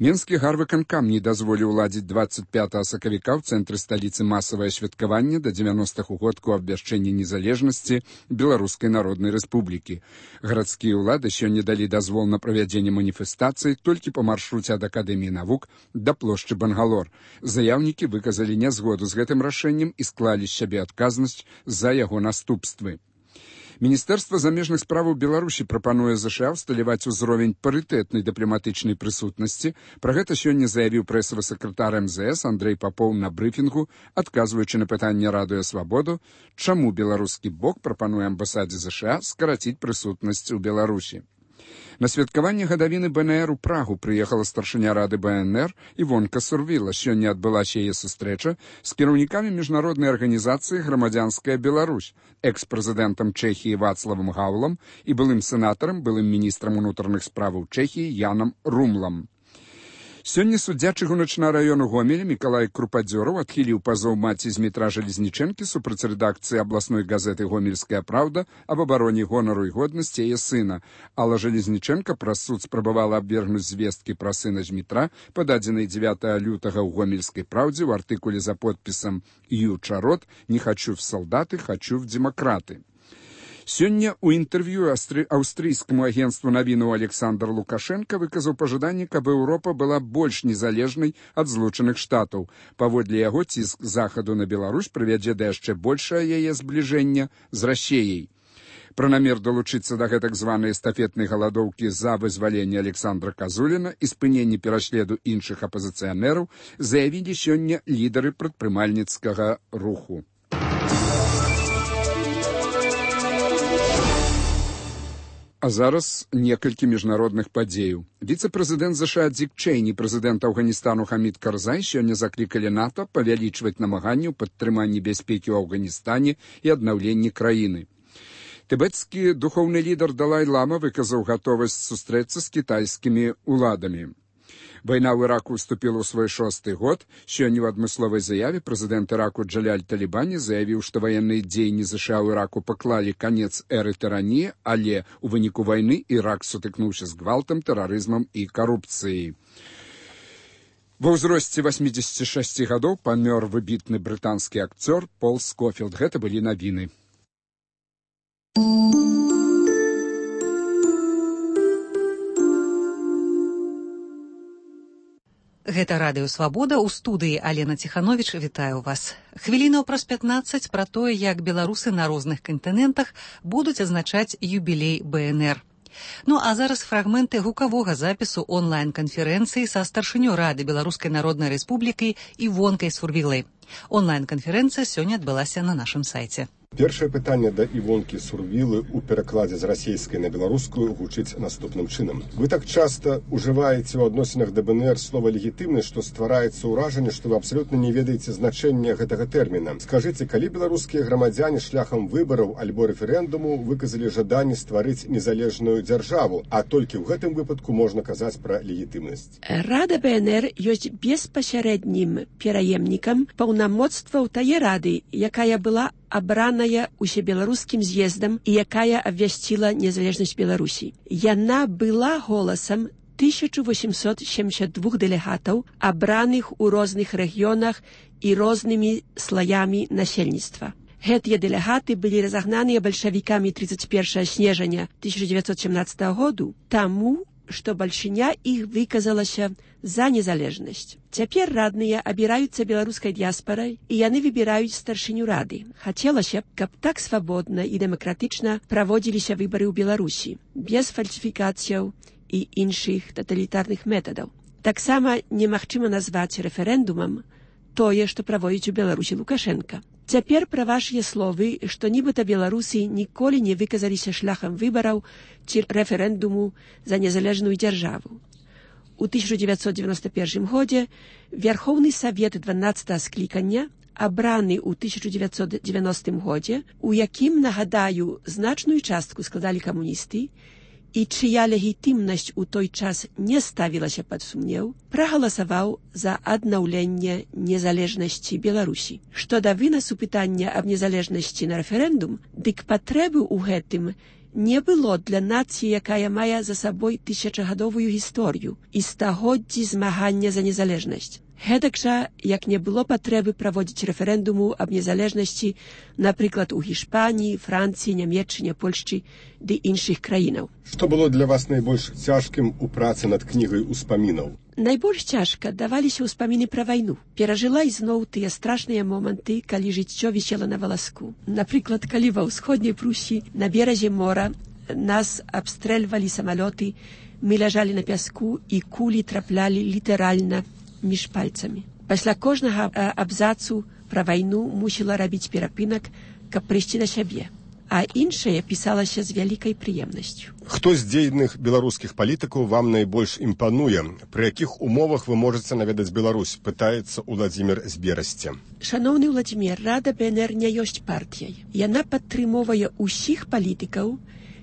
Менскі гарвыканкам не дазволіў уладзіць 25 сакавіка ў цэнтры сталіцы масавае святкаванне да 90-х угодку абвяшчэння незалежнасці Беларускай Народнай Рэспублікі. Гарадскія ўлады сёння далі дазвол на правядзенне маніфестацыі толькі па маршруце ад Акадэміі навук да плошчы Бангалор. Заяўнікі выказалі нязгоду з гэтым рашэннем і склалі з сябе адказнасць за яго наступствы. Міністэрства замежных справаў Беларусі прапануе ЗША ўсталяваць узровень парытэтнай дыпламатычнай прысутнасці. Пра гэта сёння заявіў прэсавы сакратар МЗС Андрэй Папоў на брыфінгу, адказваючы на пытанне радыё «Свабоду», чаму беларускі бок прапануе амбасадзе ЗША скараціць прысутнасць у Беларусі. На святкаванне гадавіны БНР у Прагу прыехала старшыня рады БНР Івонка Сурвіла. Сёння адбылася яе сустрэча з кіраўнікамі міжнароднай арганізацыі «Грамадзянская Беларусь», экс-прэзідэнтам Чэхіі Вацлавам Гаўлам і былым сенатарам, былым міністрам унутраных справаў Чэхіі Янам Румлам. Сёння суддзя чыгуначнага раёну Гомеля Мікалай Крупадзёраў адхіліў пазоў маці Змітра Жалезнічэнкі супраць рэдакцыі абласной газеты «Гомельская праўда» аб абароне гонару і годнасці яе сына. Алла Жалезнічэнка праз суд спрабавала абвергнуць звесткі пра сына Змітра, пададзенай 9 лютага ў «Гомельскай праўдзе» ў артыкуле за подпісам «Ю Чарот. Не хочу в солдаты, хочу в демократы». Сёння ў інтэрв'ю аўстрыйскаму агенцтву навінаў Александр Лукашенко выказаў пажаданне, каб Еўропа была больш незалежнай ад Злучаных Штатаў. Паводле яго ціск захаду на Беларусь прывядзе да яшчэ большае яе збліжэння з Расіяй. Пра намер далучыцца да гэтак званай эстафетнай галадоўкі за вызваленне Александра Казуліна і спыненне пераследу іншых апазіцыянераў заявілі сёння лідары прадпрымальніцкага руху. А зараз некалькі міжнародных падзеяў. Віцэ-прэзідэнт ЗША Дзік Чэйні, прэзідэнт Афганістану Хамід Карзай сёння заклікалі НАТО павялічваць намаганні ў падтрыманні бяспекі ў Афганістане і аднаўленні краіны. Тыбецкі духоўны лідар Далай-Лама выказаў гатовасць сустрэцца з кітайскімі ўладамі. Вайна ў Іраку ўступіла ў свой 6-й год. Сёння ў адмысловай заяве прэзідэнт Іраку Джаляль Талібані заявіў, што ваенныя дзеянні ЗША ў Іраку паклалі канец эры тыраніі, але ў выніку вайны Ірак сутыкнуўся з гвалтам, тэрарызмам і карупцыяй. Ва ўзросце 86 гадоў памёр выбітны брытанскі акцёр Пол Скофілд. Гэта былі навіны. Гэта радыё «Свабода», у студыі Алена Ціхановіч. Вітаю вас. Хвілінаў праз 15 пра тое, як беларусы на розных кантынентах будуць адзначаць юбілей БНР. Ну а зараз фрагменты гукавога запісу онлайн-канферэнцыі са старшынёй рады Беларускай Народнай Рэспублікі Івонкай Сурвілай. Онлайн-канферэнцыя сёння адбылася на нашым сайце. Першае пытанне да Івонкі Сурвілы ў перакладзе з расійскай на беларускую гучыць наступным чынам. Вы так часта ўжываеце ў адносінах да БНР слова легітымны, што ствараецца ўражанне, што вы абсалютна не ведаеце значэння гэтага тэрміна. Скажыце, калі беларускія грамадзяне шляхам выбараў альбо рэферэндуму выказалі жаданне стварыць незалежную дзяржаву, а толькі ў гэтым выпадку можна казаць пра легітымнасць? Рада БНР ёсць беспасярэднім пераемнікам паўнамоцтваў тае рады, якая была абраная усебеларускім з'ездам і якая абвясціла незалежнасць Беларусі. Яна была голасам 1872 дэлегатаў, абраных у розных рэгіёнах і рознымі слаямі насельніцтва. Гэтыя дэлегаты былі разагнаныя бальшавікамі 31 снежня 1917 году, таму, што бальшыня іх выказалася за незалежнасць. Цяпер радныя абіраюцца беларускай дыяспарай, і яны выбіраюць старшыню рады. Хацелася б, каб так свабодна і дэмакратычна праводзіліся выбары ў Беларусі, без фальсіфікацыяў і іншых таталітарных метадаў. Таксама немагчыма назваць рэферэндумам тое, што праводзіць у Беларусі Лукашенка. Цяпер пра вашыя словы, што нібыта беларусы ніколі не выказаліся шляхам выбараў ці рэферэндуму за незалежную дзяржаву. У 1991 годзе Вярхоўны Савет 12 склікання, абраны ў 1990 годзе, у якім, нагадаю, значную частку складалі камуністы, і чыя легітымнасць у той час не ставілася пад сумнеў, прагаласаваў за аднаўленне незалежнасці Беларусі. Што да вынасу пытання аб незалежнасці на рэферэндум, дык патрэбы ў гэтым не было для нацыі, якая мае за сабой тысячагадовую гісторыю і стагоддзі змагання за незалежнасць. Гэтак жа, як не было патрэбы праводзіць рэферэндуму аб незалежнасці, напрыклад, у Гішпаніі, Францыі, Нямецчыне, Польшчы ды іншых краінаў. Што было для вас найбольш цяжкім у працы над кнігай успамінаў? Найбольш цяжка даваліся ўспаміны пра вайну. Перажыла ізноў тыя страшныя моманты, калі жыццё вісела на валаску. Напрыклад, калі ва ўсходняй Прусі на беразе мора нас абстрэльвалі самалёты, мы ляжалі на пяску і кулі траплялі літаральна між пальцамі. Пасля кожнага абзацу пра вайну мусіла рабіць перапынак, каб прыйсці да сябе. А іншае пісалася з вялікай прыемнасцю. Хто з дзейных беларускіх палітыкаў вам найбольш імпануе? Пры якіх умовах вы можаце наведаць Беларусь? Пытаецца Уладзімір з Берасця. Шаноўны Уладзімір, Рада БНР не ёсць партыяй. Яна падтрымоўвае ўсіх палітыкаў,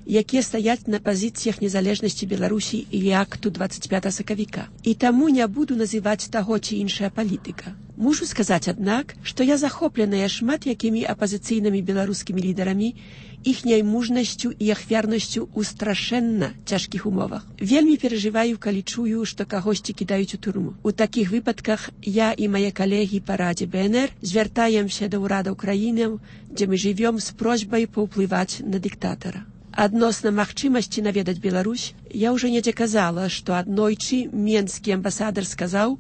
якія стаяць на пазіцыях незалежнасці Беларусі і акту 25 сакавіка. І таму не буду называць таго ці іншая палітыка. Мушу сказаць, аднак, што я захопленая шмат якімі апазіцыйнымі беларускімі лідарамі, іхняй мужнасцю і ахвярнасцю ў страшэнна цяжкіх умовах. Вельмі перажываю, калі чую, што кагосьці кідаюць у турму. У такіх выпадках я і мае калегі па Радзе БНР звяртаемся да ўрадаў краінаў, дзе мы жывём, з просьбай паўплываць на дыктатара. Адносна магчымасці наведаць Беларусь, я ўжо недзе казала, што аднойчы менскі амбасадар сказаў,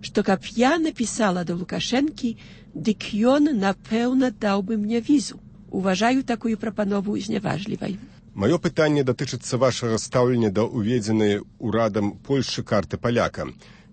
што каб я напісала да Лукашэнкі, дык ён, напэўна, даў бы мне візу. Уважаю такую прапанову зняважлівай. Маё пытанне датычыцца вашага стаўлення да ўведзенай урадам Польшчы карты паляка.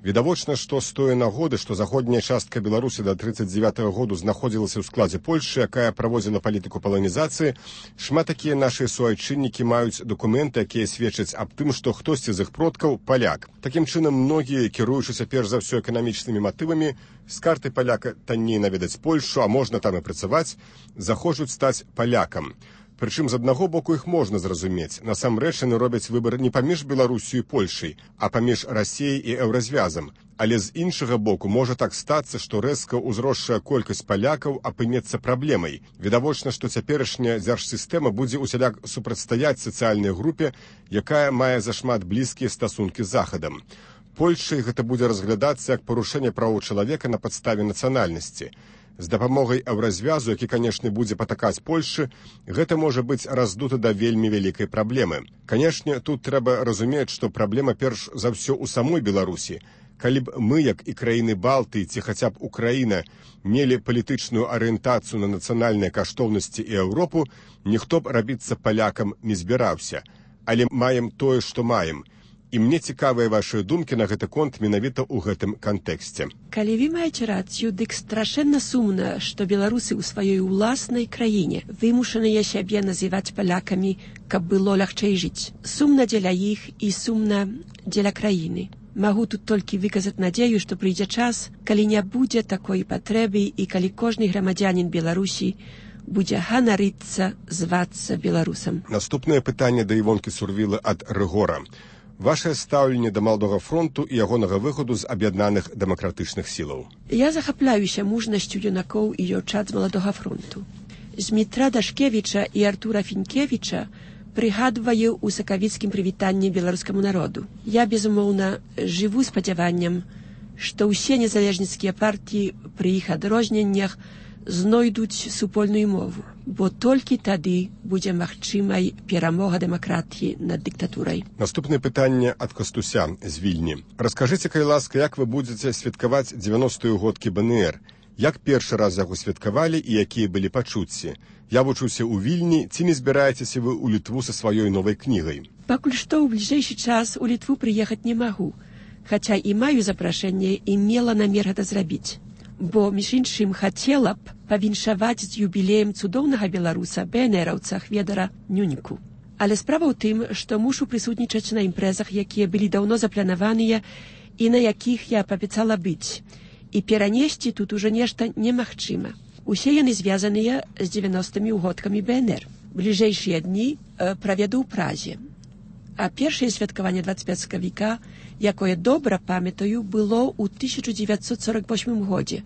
Відавочна, што з тое нагоды, што заходняя частка Беларусі да 1939 году знаходзілася ў складзе Польшчы, якая праводзіла палітыку паланізацыі, шмат такія нашы суайчыннікі маюць дакументы, якія сведчаць аб тым, што хтосьці з іх продкаў паляк. Такім чынам, многія, кіруючыся перш за ўсё эканамічнымі матывамі, з карты паляка танней наведаць Польшчу, а можна там і працаваць, захочуць стаць палякам. Прычым, з аднаго боку іх можна зразумець. Насамрэч яны робяць выбар не паміж Беларусю і Польшай, а паміж Расіяй і Еўразвязам. Але з іншага боку можа так стацца, што рэзка ўзросшая колькасць палякаў апынецца праблемай. Відавочна, што цяперашняя дзяржсістэма будзе усяляк супрацьстаяць сацыяльнай групе, якая мае зашмат блізкія стасункі з Захадам. Польшай гэта будзе разглядацца як парушэнне правоў чалавека на падставе нацыянальнасці. З дапамогай еўразвязу, які, канешне, будзе патакаць Польшчы, гэта можа быць раздута да вельмі вялікай праблемы. Канешне, тут трэба разумець, што праблема перш за ўсё ў самой Беларусі. Калі б мы, як і краіны Балтыі ці хаця б Украіна, мелі палітычную арыентацыю на нацыянальныя каштоўнасці і Еўропу, ніхто б рабіцца палякам не збіраўся. Але маем тое, што маем. І мне цікавыя вашыя думкі на гэты конт менавіта ў гэтым кантэксце. Калі вы маеце рацыю, дык страшэнна сумна, што беларусы ў сваёй уласнай краіне вымушаныя сябе называць палякамі, каб было лягчэй жыць. Сумна дзеля іх і сумна дзеля краіны. Магу тут толькі выказаць надзею, што прыйдзе час, калі не будзе такой патрэбы і калі кожны грамадзянін Беларусі будзе ганарыцца звацца беларусам. Наступнае пытанне да Івонкі Сурвілы ад Рыгора. Вашае стаўленне да Маладога фронту і ягонага выхаду з аб'яднаных дэмакратычных сілаў. Я захапляюся мужнасцю юнакоў і дзяўчат з Маладога фронту. Змітра Дашкевіча і Артура Фінкевіча прыгадваю ў сакавіцкім прывітанні беларускаму народу. Я, безумоўна, жыву спадзяваннем, што ўсе незалежніцкія партіі пры іх адрозненнях знойдуць супольную мову, бо толькі тады будзе магчымай перамога дэмакратіі над дыктатурай. Наступнае пытанне ад Кастуся з Вільні. Раскажыце, калі ласка, як вы будзеце святкаваць 90-ю годкі БНР? Як першы раз яго святкавалі і якія былі пачуцці? Я вучуся ў Вільні, ці не збіраецеся вы ў Літву са сваёй новай кнігай? Пакуль што ў бліжэйшы час у Літву прыехаць не магу, хаця і маю запрашэнне і мела намер гэта зрабіць. Бо, між іншым, хацела б павіншаваць з юбілеем цудоўнага беларуса, БНРаўца Хведара Нюніку. Але справа ў тым, што мушу прысутнічаць на імпрэзах, якія былі даўно запланаваныя і на якіх я паабяцала быць. І перанесці тут ужо нешта немагчыма. Усе яны звязаныя з 90-мі ўгодкамі БНР. Бліжэйшыя дні праведу ў Празе. А першае святкаванне 25 сакавіка, якое добра памятаю, было ў 1948 годзе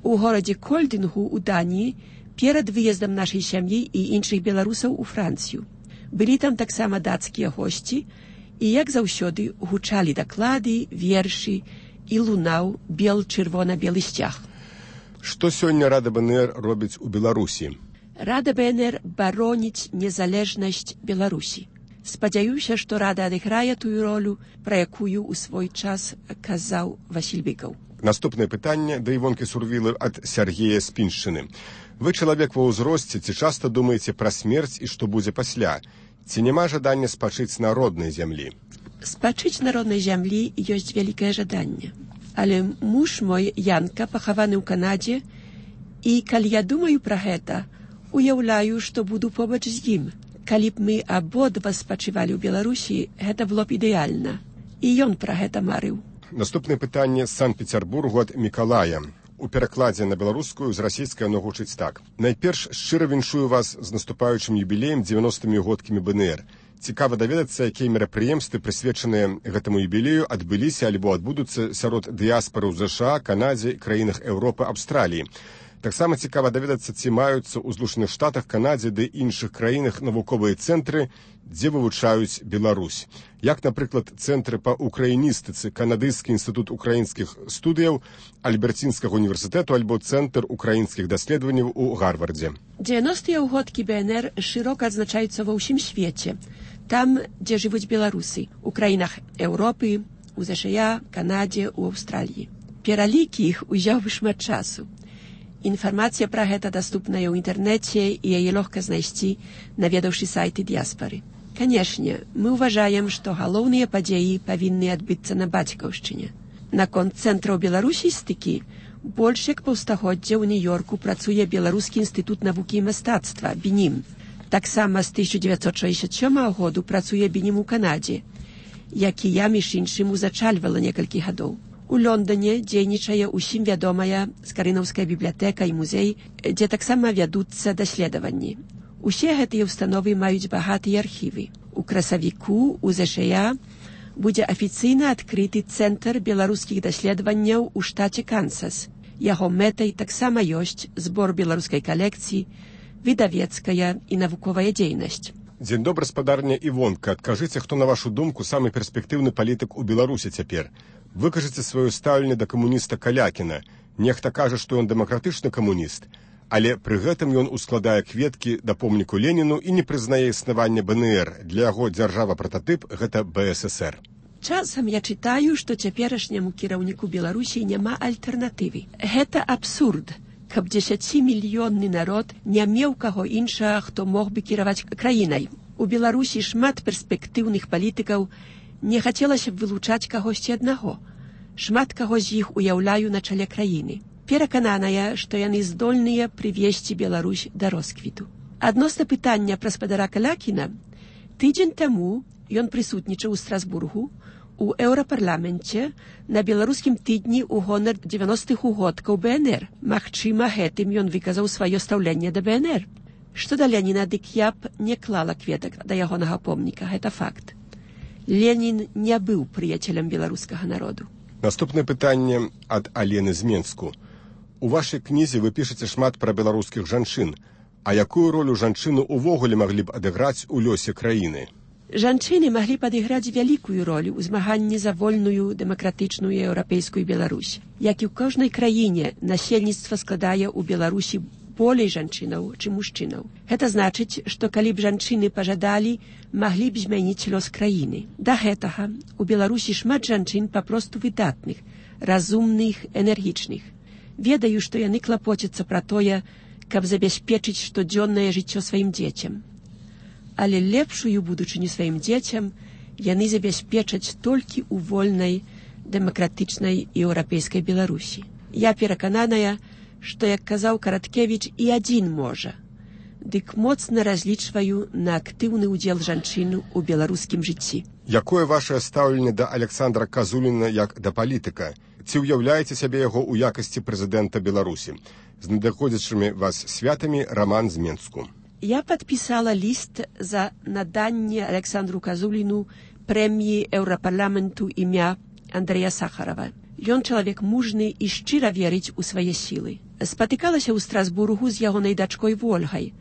у горадзе Кольдынгу ў Даніі перад выездам нашай сям'і і іншых беларусаў у Францыю. Былі там таксама дацкія госці і, як заўсёды, гучалі даклады, вершы і лунаў бел-чырвона-белы сцяг. Што сёння Рада БНР робіць у Беларусі? Рада БНР бароніць незалежнасць Беларусі. Спадзяюся, што Рада адыграе тую ролю, пра якую ў свой час казаў Васіль Быкаў. Наступнае пытанне да Івонкі Сурвілы ад Сяргея з Піншчыны. Вы чалавек ва ўзросце, ці часта думаеце пра смерць і што будзе пасля? Ці няма жадання спачыць на роднай зямлі? Спачыць на роднай зямлі ёсць вялікае жаданне. Але муж мой, Янка, пахаваны ў Канадзе, і калі я думаю пра гэта, уяўляю, што буду побач з ім. Калі б мы абодва спачывалі ў Беларусі, гэта было б ідэальна. І ён пра гэта марыў. Наступнае пытанне з Санкт-Пецярбургу ад Мікалая. У перакладзе на беларускую з расійскай оно гучыць так. Найперш шчыра віншую вас з наступаючым юбілеем 90-мі годкамі БНР. Цікава даведацца, якія мерапрыемствы, прысвечаныя гэтаму юбілею, адбыліся альбо адбудуцца сярод дыяспары ў ЗША, Канадзе, краінах Еўропы, Аўстраліі. Таксама цікава даведацца, ці маюцца ў Злучаных Штатах, Канадзе ды іншых краінах навуковыя цэнтры, дзе вывучаюць Беларусь. Як, напрыклад, цэнтры па украіністыцы, Канадыскі інстытут украінскіх студыяў, Альберцінскага універсітэту альбо цэнтр украінскіх даследаванняў у Гарвардзе. 90-е ўгодкі БНР шырока адзначаюцца ва ўсім свеце. Там, дзе жывуць беларусы, у краінах Еўропы, у ЗША, Канадзе, у Аўстраліі. Пералік іх узяў бы шмат часу. Інфармацыя пра гэта даступная ў інтэрнэце і яе лёгка знайсці, наведаўшы сайты дыяспары. Канешне, мы ўважаем, што галоўныя падзеі павінны адбыцца на бацькаўшчыне. Наконт цэнтраў беларусістыкі, больш як паўстагоддзя ў Нью-Йорку працуе Беларускі інстытут навукі і мастацтва, БІНІМ. Таксама з 1967 году працуе БІНІМ у Канадзе, які я, між іншым, узачальвала некалькі гадоў. У Лондоне дзейнічае ўсім вядомая Скарынаўская бібліятэка і музей, дзе таксама вядуцца даследаванні. Усе гэтыя ўстановы маюць багатыя архівы. У красавіку у ЗША будзе афіцыйна адкрыты цэнтр беларускіх даследаванняў у штаце Кансас. Яго мэтай таксама ёсць збор беларускай калекцыі, выдавецкая і навуковая дзейнасць. Дзень добры, спадарня Івонка. Адкажыце, хто, на вашу думку, самы перспектыўны палітык у Беларусі цяпер? Выкажыце сваё стаўленне да камуніста Калякіна. Нехта кажа, што ён дэмакратычны камуніст, але пры гэтым ён ускладае кветкі да помніку Леніну і не прызнае існавання БНР. Для яго дзяржава-прататып гэта БССР. Часам я чытаю, што цяперашняму кіраўніку Беларусі няма альтэрнатывы. Гэта абсурд, каб 10-мільённы народ не меў каго іншага, хто мог бы кіраваць краінай. У Беларусі шмат перспектыўных палітыкаў, Не хацелася б вылучаць кагосьці аднаго. Шмат каго з іх уяўляю на чале краіны. Перакананая, што яны здольныя прывесці Беларусь да росквіту. Адносна пытання пра спадара Калякіна, тыдзень таму ён прысутнічаў у Страсбургу у Еўрапарламенце на беларускім тыдні ў гонар 90-х угодкаў БНР. Магчыма, гэтым ён выказаў сваё стаўленне да БНР. Што да Леніна, дык я б не клала кветак да ягонага помніка, гэта факт. Ленін не быў прыяцелем беларускага народу. Наступнае пытанне ад Алены з Менску. У вашай кнізе вы пішаце шмат пра беларускіх жанчын. А якую ролю жанчыны ўвогуле маглі б адыграць у лёсе краіны? Жанчыны маглі падыграць вялікую ролю ў змаганні за вольную, дэмакратычную еўрапейскую Беларусь. Як і ў кожнай краіне, насельніцтва складае ў Беларусі болей жанчынаў, чым мужчынаў. Гэта значыць, што калі б жанчыны пажадалі, маглі б змяніць лёс краіны. Да гэтага у Беларусі шмат жанчын папросту выдатных, разумных, энергічных. Ведаю, што яны клапоцяцца пра тое, каб забяспечыць штодзённае жыццё сваім дзецям. Але лепшую будучыню сваім дзецям яны забяспечаць толькі ў вольнай, дэмакратычнай еўрапейскай Беларусі. Я перакананая, што, як казаў Караткевіч, і адзін можа. Дык моцна разлічваю на актыўны ўдзел жанчын у беларускім жыцці. Якое вашае стаўленне да Александра Казуліна як да палітыка? Ці ўяўляеце сябе яго ў якасці прэзідэнта Беларусі? З надыходзячымі вас святамі, Роман з Менску. Я падпісала ліст за наданне Александру Казуліну прэміі Еўрапарламенту імя Андрэя Сахарова. Ён чалавек мужны і шчыра верыць у свае сілы. Спатыкалася ў Страсбургу з ягонай дачкой Вольгай,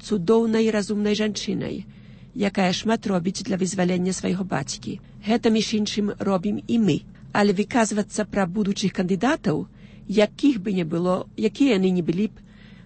цудоўнай разумнай жанчынай, якая шмат робіць для вызвалення свайго бацькі. Гэта, між іншым, робім і мы. Але выказвацца пра будучых кандыдатаў, якіх бы не было, якія яны не былі б,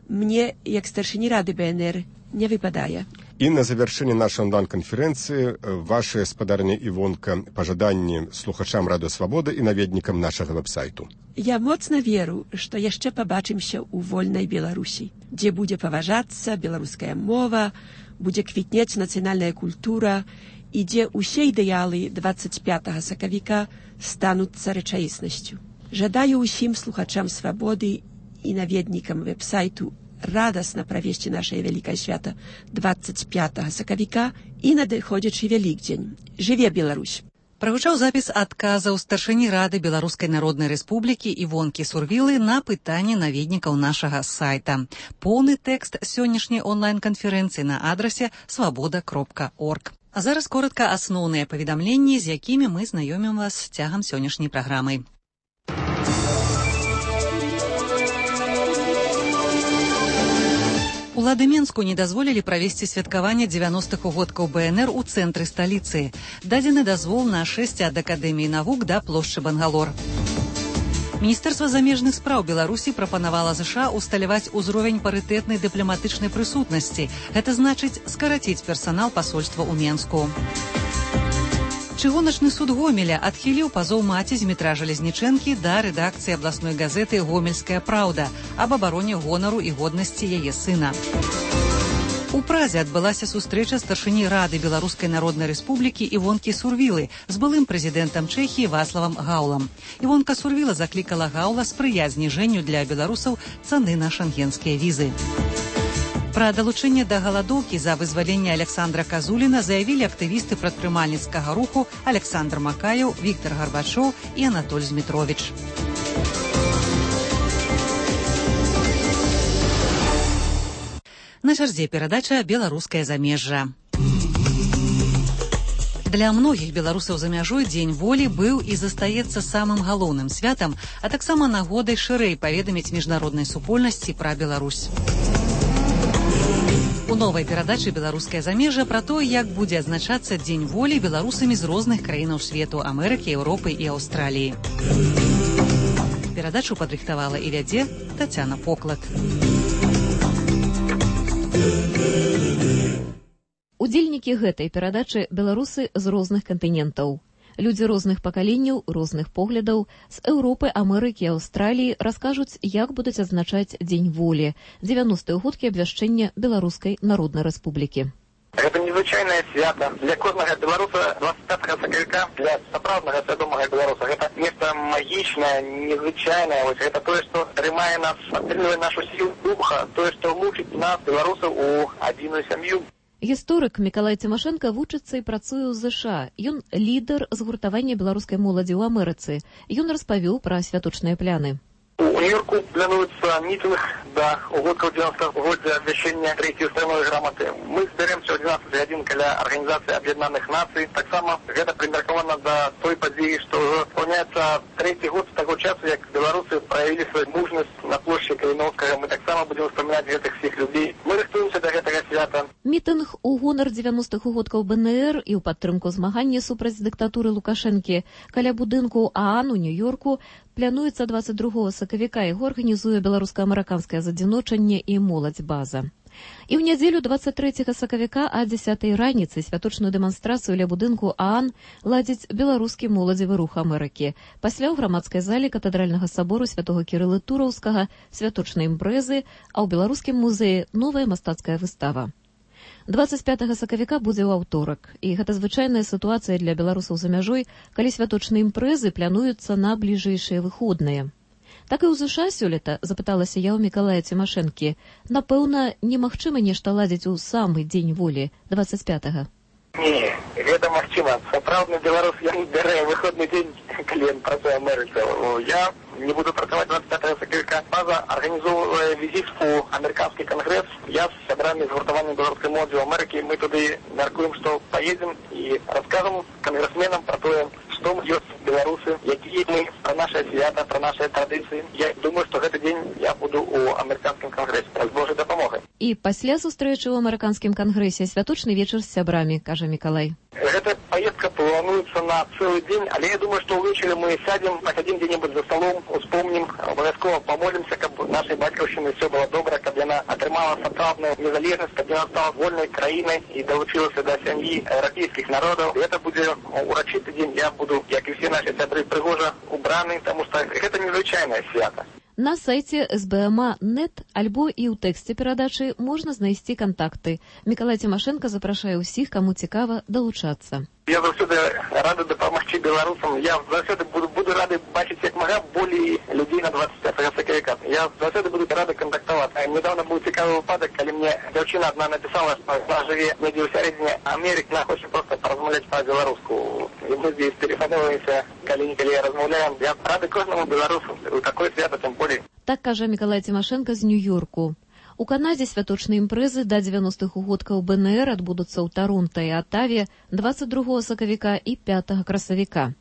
мне, як старшыні рады БНР, не выпадае. І на завяршэнне нашай онлайн-канферэнцыі ваша спадарня Івонка пажаданні слухачам Радыё Свабода і наведнікам нашага вэб-сайту. Я моцна веру, што яшчэ пабачымся ў вольнай Беларусі, дзе будзе паважацца беларуская мова, будзе квітнець нацыянальная культура і дзе ўсе ідэалы 25 сакавіка стануцца рэчаіснасцю. Жадаю ўсім слухачам Свабоды і наведнікам веб-сайту радасна правесці нашае вялікае свята 25 сакавіка і надыходзячы Вялікдзень. Жыве Беларусь! Прагучаў запіс адказаў старшыні Рады Беларускай Народнай Рэспублікі Івонкі Сурвілы на пытанне наведнікаў нашага сайта. Поўны тэкст сённяшняй онлайн-канферэнцыі на адрасе свабода.орг. А зараз коротка асноўныя паведамленні, з якімі мы знаёмім вас цягам сённяшняй праграмы. Улады Менску не дазволілі правесці святкаванне 90-х угодкаў БНР у цэнтры сталіцы. Дадзены дазвол на 6 ад Акадэміі навук да плошчы Бангалор. Міністэрства замежных спраў Беларусі прапанавала ЗША усталяваць узровень парытэтнай дыпламатычнай прысутнасці. Гэта значыць скараціць персанал пасольства ў Менску. Чыгуначны суд Гомеля адхіліў пазоў маці Змітра Жалезнічэнкі да рэдакцыі абласной газеты «Гомельская праўда» аб абароне гонару і годнасці яе сына. У Празе адбылася сустрэча старшыні Рады Беларускай Народнай Рэспублікі Івонкі Сурвілы з былым прэзідэнтам Чэхіі Вацлавам Гаўлам. Івонка Сурвіла заклікала Гаўла спрыяць зніжэнню для беларусаў цаны на шэнгенскія візы. Пра далучэнне да галадоўкі за вызваленне Александра Казуліна заявілі актывісты прадпрымальніцкага руху Александр Макаеў, Віктор Гарбачоў і Анатоль Змітровіч. На чарзе перадача «Беларускае замежжа». Для многіх беларусаў за мяжой Дзень волі быў і застаецца самым галоўным святам, а таксама нагодай шырэй паведаміць міжнароднай супольнасці пра Беларусь. У новай перадачы «Беларускае замежжа» пра тое, як будзе адзначацца Дзень волі беларусамі з розных краінаў свету, Амерыкі, Еўропы і Аўстраліі. Перадачу падрыхтавала і вядзе Тацяна Поклад. Удзельнікі гэтай перадачы беларусы з розных кантынентаў. Людзі розных пакаленняў, розных поглядаў з Еўропы, Амерыкі і Аўстраліі раскажуць, як будуць адзначаць Дзень волі, 90-й угодкі абвяшчэння Беларускай Народнай Рэспублікі. Гэта не незвычайнае свята. Для кожнага беларуса 25 сакавіка, для сапраўднага свядомага беларуса, гэта нешта магічнае, незвычайнае. Вось гэта тое, што трымае нас, падтрымлівае нашу сілу духа, тое, што лучыць нас, беларусаў, у адзіную сям'ю. Гісторык Мікалай Цімашэнка вучыцца і працуе ў ЗША. Ён лідар згуртавання беларускай моладзі ў Амерыцы. Ён распавёў пра святочныя пляны. У Нью-Йорку плануецца мітынг да угодкаў 90-го годдзя абвяшчэння трэцяй устроевой граматы. Мы збяремся ў 12 гадзін каля Арганізацыі Аб'яднаных Нацый. Таксама гэта прымеркавана да той падзеі, што ўжо спаўняецца 3-й год з таго часу, як беларусы праявілі сваю мужнасць на плошчы Каліноўскага. Мы таксама будзем успамінаць гэтых всіх людзей. Мы рыхтуемся да гэтага свята. Мітынг у гонар 90-х угодкаў БНР і ў падтрымку змагання супраць дыктатуры Лукашэнкі каля будынку ААН у Нью-Йорку плануецца 22 сакавіка. Яго арганізуе беларуска-амерыканскае задзіночанне і моладзь база. І ў нядзелю 23 сакавіка а 10 раніцы святочную дэманстрацыю ля будынку ААН ладзіць беларускі моладзевы рух Амерыкі. Пасля ў грамадскай зале катэдральнага сабору святога Кірылы Тураўскага святочныя імпрэзы, а ў беларускім музеі новая мастацкая выстава. 25 сакавіка будзе ў аўторак, і гэта звычайная сітуацыя для беларусаў за мяжой, калі святочныя імпрэзы плануюцца на бліжэйшыя выходныя. Так і ў ЗША сёлета, запыталася я ў Мікалая Цімашэнкі, напэўна, немагчыма нешта ладзіць у самы дзень волі, 25-га. Не, гэта магчыма. Сапраўдны беларус, ён бярэ выходны дзень, калі ён працуе Амерыцы. Я не буду працаваць 25 сакавіка. База арганізоўвае візіт у амерыканскі кангрэс. Я з сябрамі згуртавання беларускай моладзі ў Амерыкі. Мы туды мяркуем, што паедзем і раскажам кангрэсменам пра тое, што ёсць беларусы, якія мы, пра наша свята, пра нашыя традыцыі. Я думаю, што гэты дзень я буду ў амерыканскім кангрэсе з Божай дапамогай. І пасля сустрэчы ў амерыканскім кангрэсе святочны вечар з сябрамі, кажа Мікалай. Гэта поездка плануецца на цэлы дзень, але я думаю, што ўвечары мы сядзем, пасядзім дзе-небудзь за сталом, успомнім, абавязкова памолімся, каб нашай бацькаўшчыны ўсё было добра, каб яна атрымала сапраўдную незалежнасць, каб яна стала вольнай краінай і далучылася да сям'і еўрапейскіх народаў. Гэта будзе урачысты дзень. Я буду, як і ўсе нашы сябры, прыгожа убраны, таму што гэта незвычайнае свята. На сайце СБМА.нет альбо і ў тэксце перадачы можна знайсці кантакты. Мікалай Цімашэнка запрашае ўсіх, каму цікава, далучацца. Я заўсёды рады дапамагчы беларусам. Я заўсёды буду рады бачыць як мага болей людзей на 25 сакавіка. Я заўсёды буду рады кантактаваць. Недавно быў цікавы выпадак, калі мне дзяўчына адна напісала, што вона жыве недзе ў сярэдзіне Амерыкі, она хоча проста паразмаўляць па-беларуску. І мы здесь тэлефануемся, калі-нікалі размаўляем. Я рады кожнаму беларусу у такое свята, тым болей. Так кажа Мікалай Цімашэнка з Нью-Йорку. У Канадзе святочныя імпрэзы да 90-х угодкаў БНР адбудуцца ў Таронта і Атаве 22 сакавіка і 5 красавіка.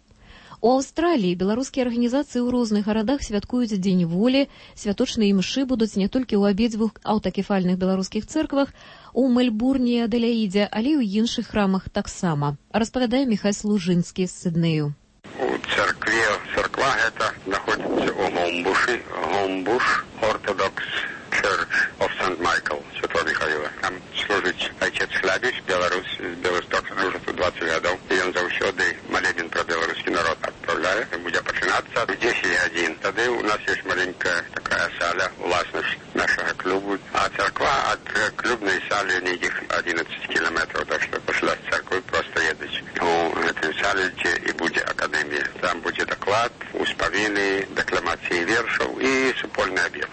У Аўстраліі беларускія арганізацыі ў розных гарадах святкуюць Дзень волі. Святочныя імшы будуць не толькі ў абедзвюх аўтакефальных беларускіх цэрквах, у Мельбурне і Адэляідзе, але і ў іншых храмах таксама. Распавядае Міхай Служынскі з Сіднею. У царква гэта знаходзіцца ў Гомбушы. Гомбуш Ортодокс Church of St. Michael, Святого Михаила. Там служыць отец Хлябіч, беларус з Беластока, уже тут 20 гадоў. І ён заўсёды малебен пра беларускі народ адпраўляе. Будзе пачынацца в 10 гадзін. Тады у нас ёсць маленькая такая саля, уласнасць нашага клубу. А царква ад клубнай салі нейкіх 11 кіламетраў, так што пасля царквы проста едуць. У гэтай сале, дзе і будзе акадэмія. Там будзе даклад, успавіны, дакламацыі вершаў і супольны абед.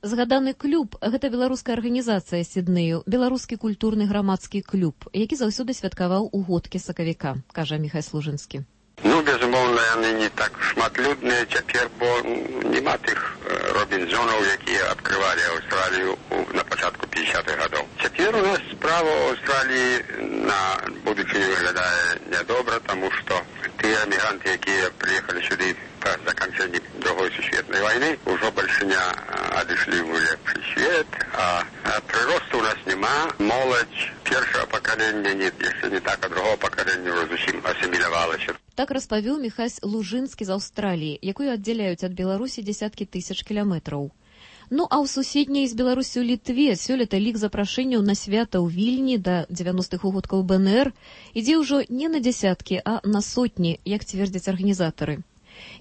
Згаданы клуб – гэта беларуская арганізацыя Сіднею, беларускі культурны грамадскі клуб, які заўсёды святкаваў угодкі сакавіка, кажа Міхай Служынскі. Ну, безумоўна, яны не так шматлюдныя цяпер, бо няма тых Робінзонаў, якія адкрывалі Аўстралію на пачатку 50-х гадоў. Цяпер у нас справа ў Аўстраліі на будучыню выглядае нядобра, таму што тыя эмігранты, якія прыехалі сюды па заканчэнні Другой сусветнай вайны, ужо больше не адышлі ў лепшы свет, а прыросту у нас няма. Моладзь першага пакалення, яшчэ не так, а другого пакалення ўжо зусім асімілявалася. Так распавёў Міхай Лужынскі з Аўстраліі, якую аддзяляюць ад Беларусі дзесяткі тысяч кіламетраў. Ну а ў суседняй з Беларусю Літве сёлета лік запрашэнняў на свята ў Вільні да 90-х угодкаў БНР ідзе ўжо не на дзесяткі, а на сотні, як цвердзяць арганізатары.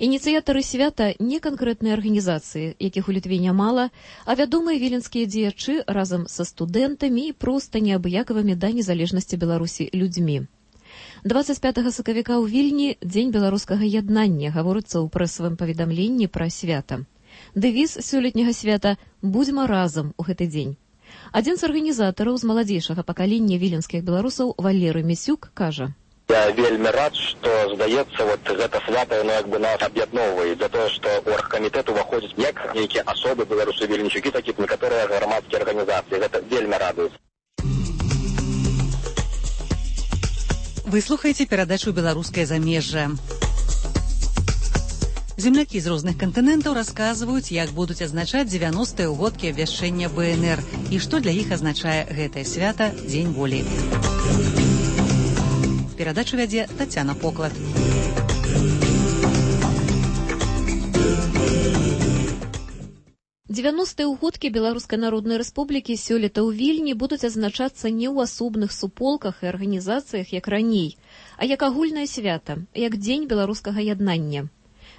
Ініцыятары свята не канкрэтныя арганізацыі, якіх у Літве нямала, а вядомыя віленскія дзеячы разам са студэнтамі і проста неабыякавымі да незалежнасці Беларусі людзьмі. 25 сакавіка ў Вільні дзень беларускага яднання, гаворыцца ў прэсавым паведамленні пра свята. Дэвіз сёлетняга свята «Будзьма разам» у гэты дзень. Адзін з арганізатараў з маладзейшага пакалення віленскіх беларусаў Валерый Місюк кажа: Я вельмі рад, што, здаецца, гэта свята, яно нас аб'ядноўвае, за тое, што ў аргкамітэт уваходзяць як нейкія асобы беларусы-вільнічукі, так і некаторыя грамадскія арганізацыі. Гэта вельмі радуе. Вы слухаеце перадачу «Беларускае замежжа». Землякі з розных кантынентаў расказваюць, як будуць адзначаць 90-е ўгодкі абвяшчэння БНР і што для іх азначае гэтае свята Дзень волі. Перадачу вядзе Тацяна Поклад. Дзевяностыя ўгодкі Беларускай Народнай Рэспублікі сёлета ў Вільні будуць адзначацца не ў асобных суполках і арганізацыях, як раней, а як агульнае свята, як Дзень беларускага яднання.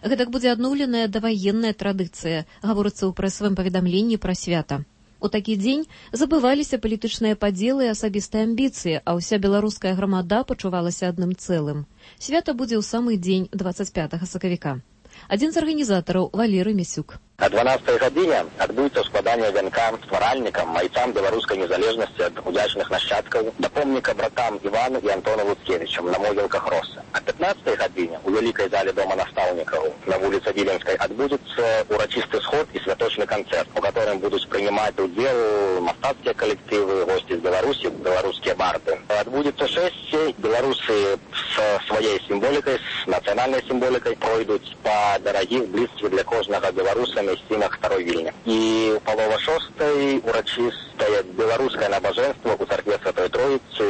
Гэтак будзе адноўленая даваенная традыцыя, гаворыцца ў прэсавым паведамленні пра свята. У такі дзень забываліся палітычныя падзелы і асабістыя амбіцыі, а ўся беларуская грамада пачувалася адным цэлым. Свята будзе ў самы дзень 25 сакавіка. Адзін з арганізатараў Валерый Місюк. О 12-й гадзіне адбудзецца складанне вянка стваральнікам, майцам беларускай незалежнасці ад удзячных нашчадкаў да помніка братам Івану і Антону Луцкевічам на могілках Росса. О 15-й гадзіне у вялікай зале дома настаўнікаў на вуліцы Віленскай адбудзецца урачысты сход і святочны канцэрт, у которым будуць прынимаць удзел мастацкія калектывы, госці з Беларусі, беларускія барды. Адбудзецца шэсце, беларусы з сваёй сімволікай, з нацыянальнай сімволікай пройдуць па дарагіх блізкіх для кожнага беларуса месцінах старой Вільні. І ў палова шостай урачыстае беларускае набажэнства ў царкве Святой Троіцы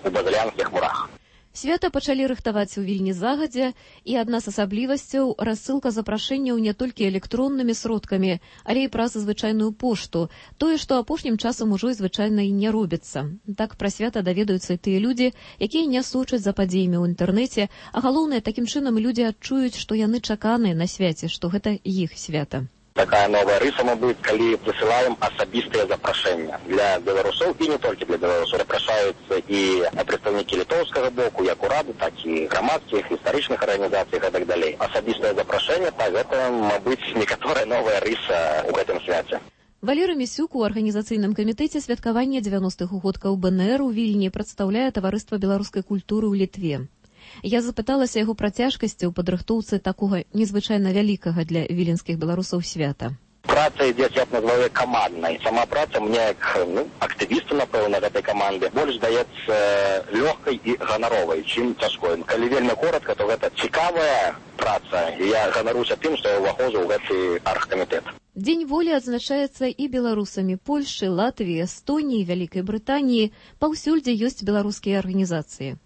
ў Базылянскіх мурах. Свята пачалі рыхтаваць у Вільні загадзя, і адна з асаблівасцяў – рассылка запрашэнняў не толькі электроннымі сродкамі, але і праз звычайную пошту, тое, што апошнім часам ужо і звычайна і не робіцца. Так пра свята даведаюцца і тыя людзі, якія не сочаць за падзеямі ў інтэрнэце, а галоўнае, такім чынам людзі адчуюць, што яны чаканыя на свяце, што гэта іх свята. Такая новая рыса, мабыць, калі прысылаем асабістыя запрашэння для беларусоў і не толькі для беларусаў. Запрашаюцца і прадстаўнікі літоўскага боку, як урады, так і грамадскіх, гістарычных арганізацый і так далей. Асабістае запрашэнне, так гэта, мабыць, некаторая новая рыса ў гэтым свяце. Валерый Місюк у арганізацыйным камітэце святкавання 90-х угодкаў БНР у Вільні прадстаўляе таварыства беларускай культуры ў Літве. Я запыталася яго пра цяжкасці ў падрыхтоўцы такога незвычайна вялікага для віленскіх беларусаў свята. Праца ідзе, я б назваў, каманднай. Сама праца мне, як актывісту, напэўна, гэтай каманды, больш здаецца лёгкай і ганаровай, чым цяжкой. Калі вельмі коратка, то гэта цікавая праца, і я ганаруся тым, што я ўваходжу ў гэты аргкамітэт. Дзень волі адзначаецца і беларусамі Польшчы, Латвіі, Эстоніі, Вялікай Брытаніі, паўсюль, дзе ёсць беларускія арганізацыі.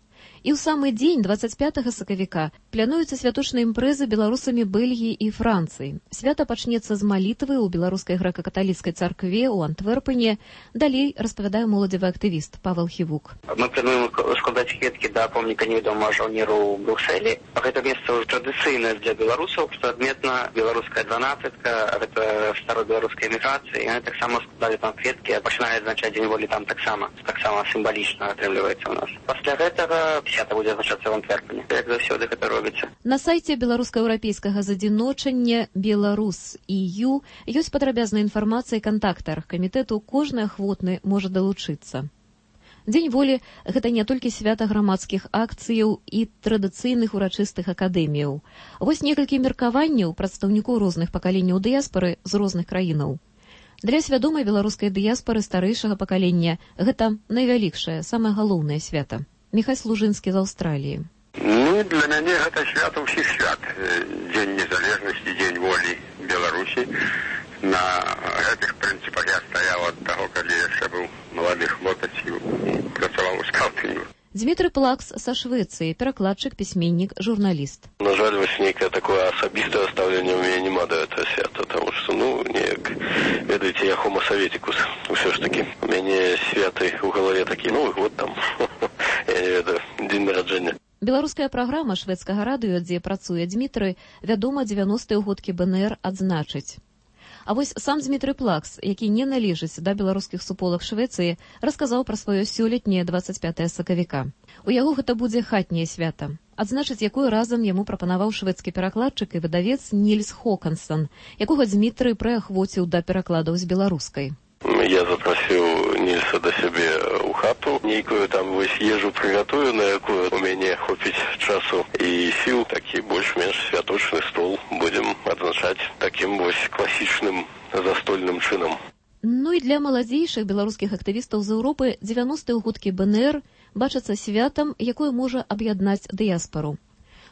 І ў самы дзень 25 сакавіка плануюцца святочныя імпрэзы беларусамі Бельгіі і Францыі. Свята пачнецца з малітвы ў беларускай грэка-каталіцкай царкве ў Антверпене. Далей распавядае моладзевы актывіст Павел Хівук. Мы плануем складаць кветкі да помніка невядомага жаўнеру ў Брюсселі. Гэта месца ўжо традыцыйнае для беларусаў, што адметна беларуская 12-ка, гэта старобеларуская эміграцыя. Яны таксама складалі там кветкі, пачыналі адзначаць дзень волі там таксама сімвалічна атрымліваецца ў нас. Пасля гэтага свята будзе адзначацца ў Антверпене. Як заўсёды гэта робіцца. На сайце беларуска-еўрапейскага задзіночання Беларус.eu ёсць падрабязная інфармацыя і кантакты аргкамітэту, кожны ахвотны можа далучыцца. Дзень волі – гэта не толькі свята грамадскіх акцыяў і традыцыйных урачыстых акадэміяў. Вось некалькі меркаванняў прадстаўнікоў розных пакаленняў дыяспары з розных краінаў. Для свядомай беларускай дыяспары старэйшага пакалення гэта найвялікшае, самае галоўнае свята. Міхай Служынскі з Аўстраліі. Для мяне гэта свята ўсіх свят. Дзень незалежнасці, дзень волі Беларусі. На гэтых прынцыпах я стаяў ад таго, калі яшчэ быў малады хлопец і працаваў у скаўтынгу. Дмітрый Плакс са Швецыі, перакладчык, пісьменнік, журналіст. На жаль, вось нейкае такое асабістае стаўленне ў мяне няма да гэтага свята, таму што, неяк, ведаеце, я хомо саветікус. Усё ж такі, у мяне святы ў галаве такі, Новы год там, я не ведаю, дзень нараджэння. Беларуская праграма шведскага радыё, дзе працуе Дмітрый, вядома, 90-е ўгодкі БНР адзначыць. А вось сам Дмітрый Плакс, які не належыць да беларускіх суполак Швецыі, расказаў пра сваё сёлетняе 25 сакавіка. У яго гэта будзе хатняе свята, адзначыць якое разам яму прапанаваў шведскі перакладчык і выдавец Нільс Хокансон, якога Дмітрый прыахвоціў да перакладаў з беларускай. Я запросил Нильса до себе у хату, нейкую там вось ежу приготую, на якую у мяне хопіць часу і сил, такі больш-менш святочны стол будем адзначаць таким вось класічным застольным чынам. Ну і для маладзейшых беларускіх актывістаў з Еўропы 90-е ўгодкі БНР бачацца святам, якое можа аб'яднаць дыяспару.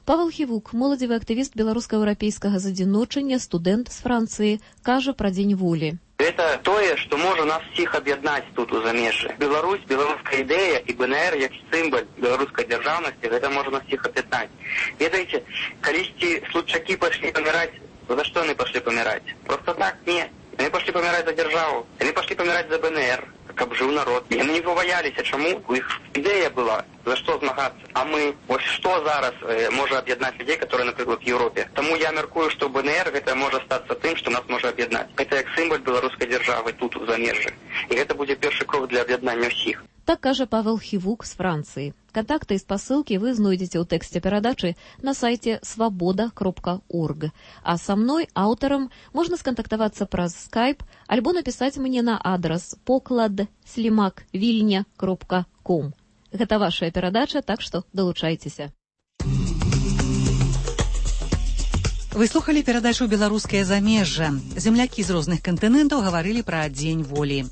Павел Хівук, моладзевы актывіст беларуска-еўрапейскага задзіночання, студэнт з Францыі, кажа пра дзень волі. Это тое, што можа нас всіх аб'яднаць тут у замежжы. Беларусь, беларуская ідэя і БНР як сімвал беларускай дзяржаўнасці, гэта можа нас всіх аб'яднаць. Ведаеце, калісьці случакі пайшлі паміраць, за што яны пайшлі паміраць? Просто так, не. Яны пайшлі паміраць за дзяржаву, яны пайшлі паміраць за БНР, каб жыў народ. Яны не пабаяліся, чаму? У іх ідэя была, за што змагацца. А мы, ось што зараз можа аб'яднаць людзей, которые, напрыклад, в Еўропе. Таму я мяркую, што БНР гэта можа стацца тым, што нас можа аб'яднаць. Гэта як сімвал беларускай дзяржавы тут у замежжы. І гэта будзе першы крок для аб'яднання ўсіх. Так кажа Павел Хівук з Францыі. Кантакты і спасылкі вы знойдзеце ў тэксце перадачы на сайце свабода.орг. А са мной, аўтарам, можна скантактавацца праз скайп альбо напісаць мне на адрас poklad@vilnia.com. Гэта вашая перадача, так што далучайцеся. Вы слухалі перадачу «Беларускае замежжа». Землякі з розных кантынентаў гаварылі пра дзень волі.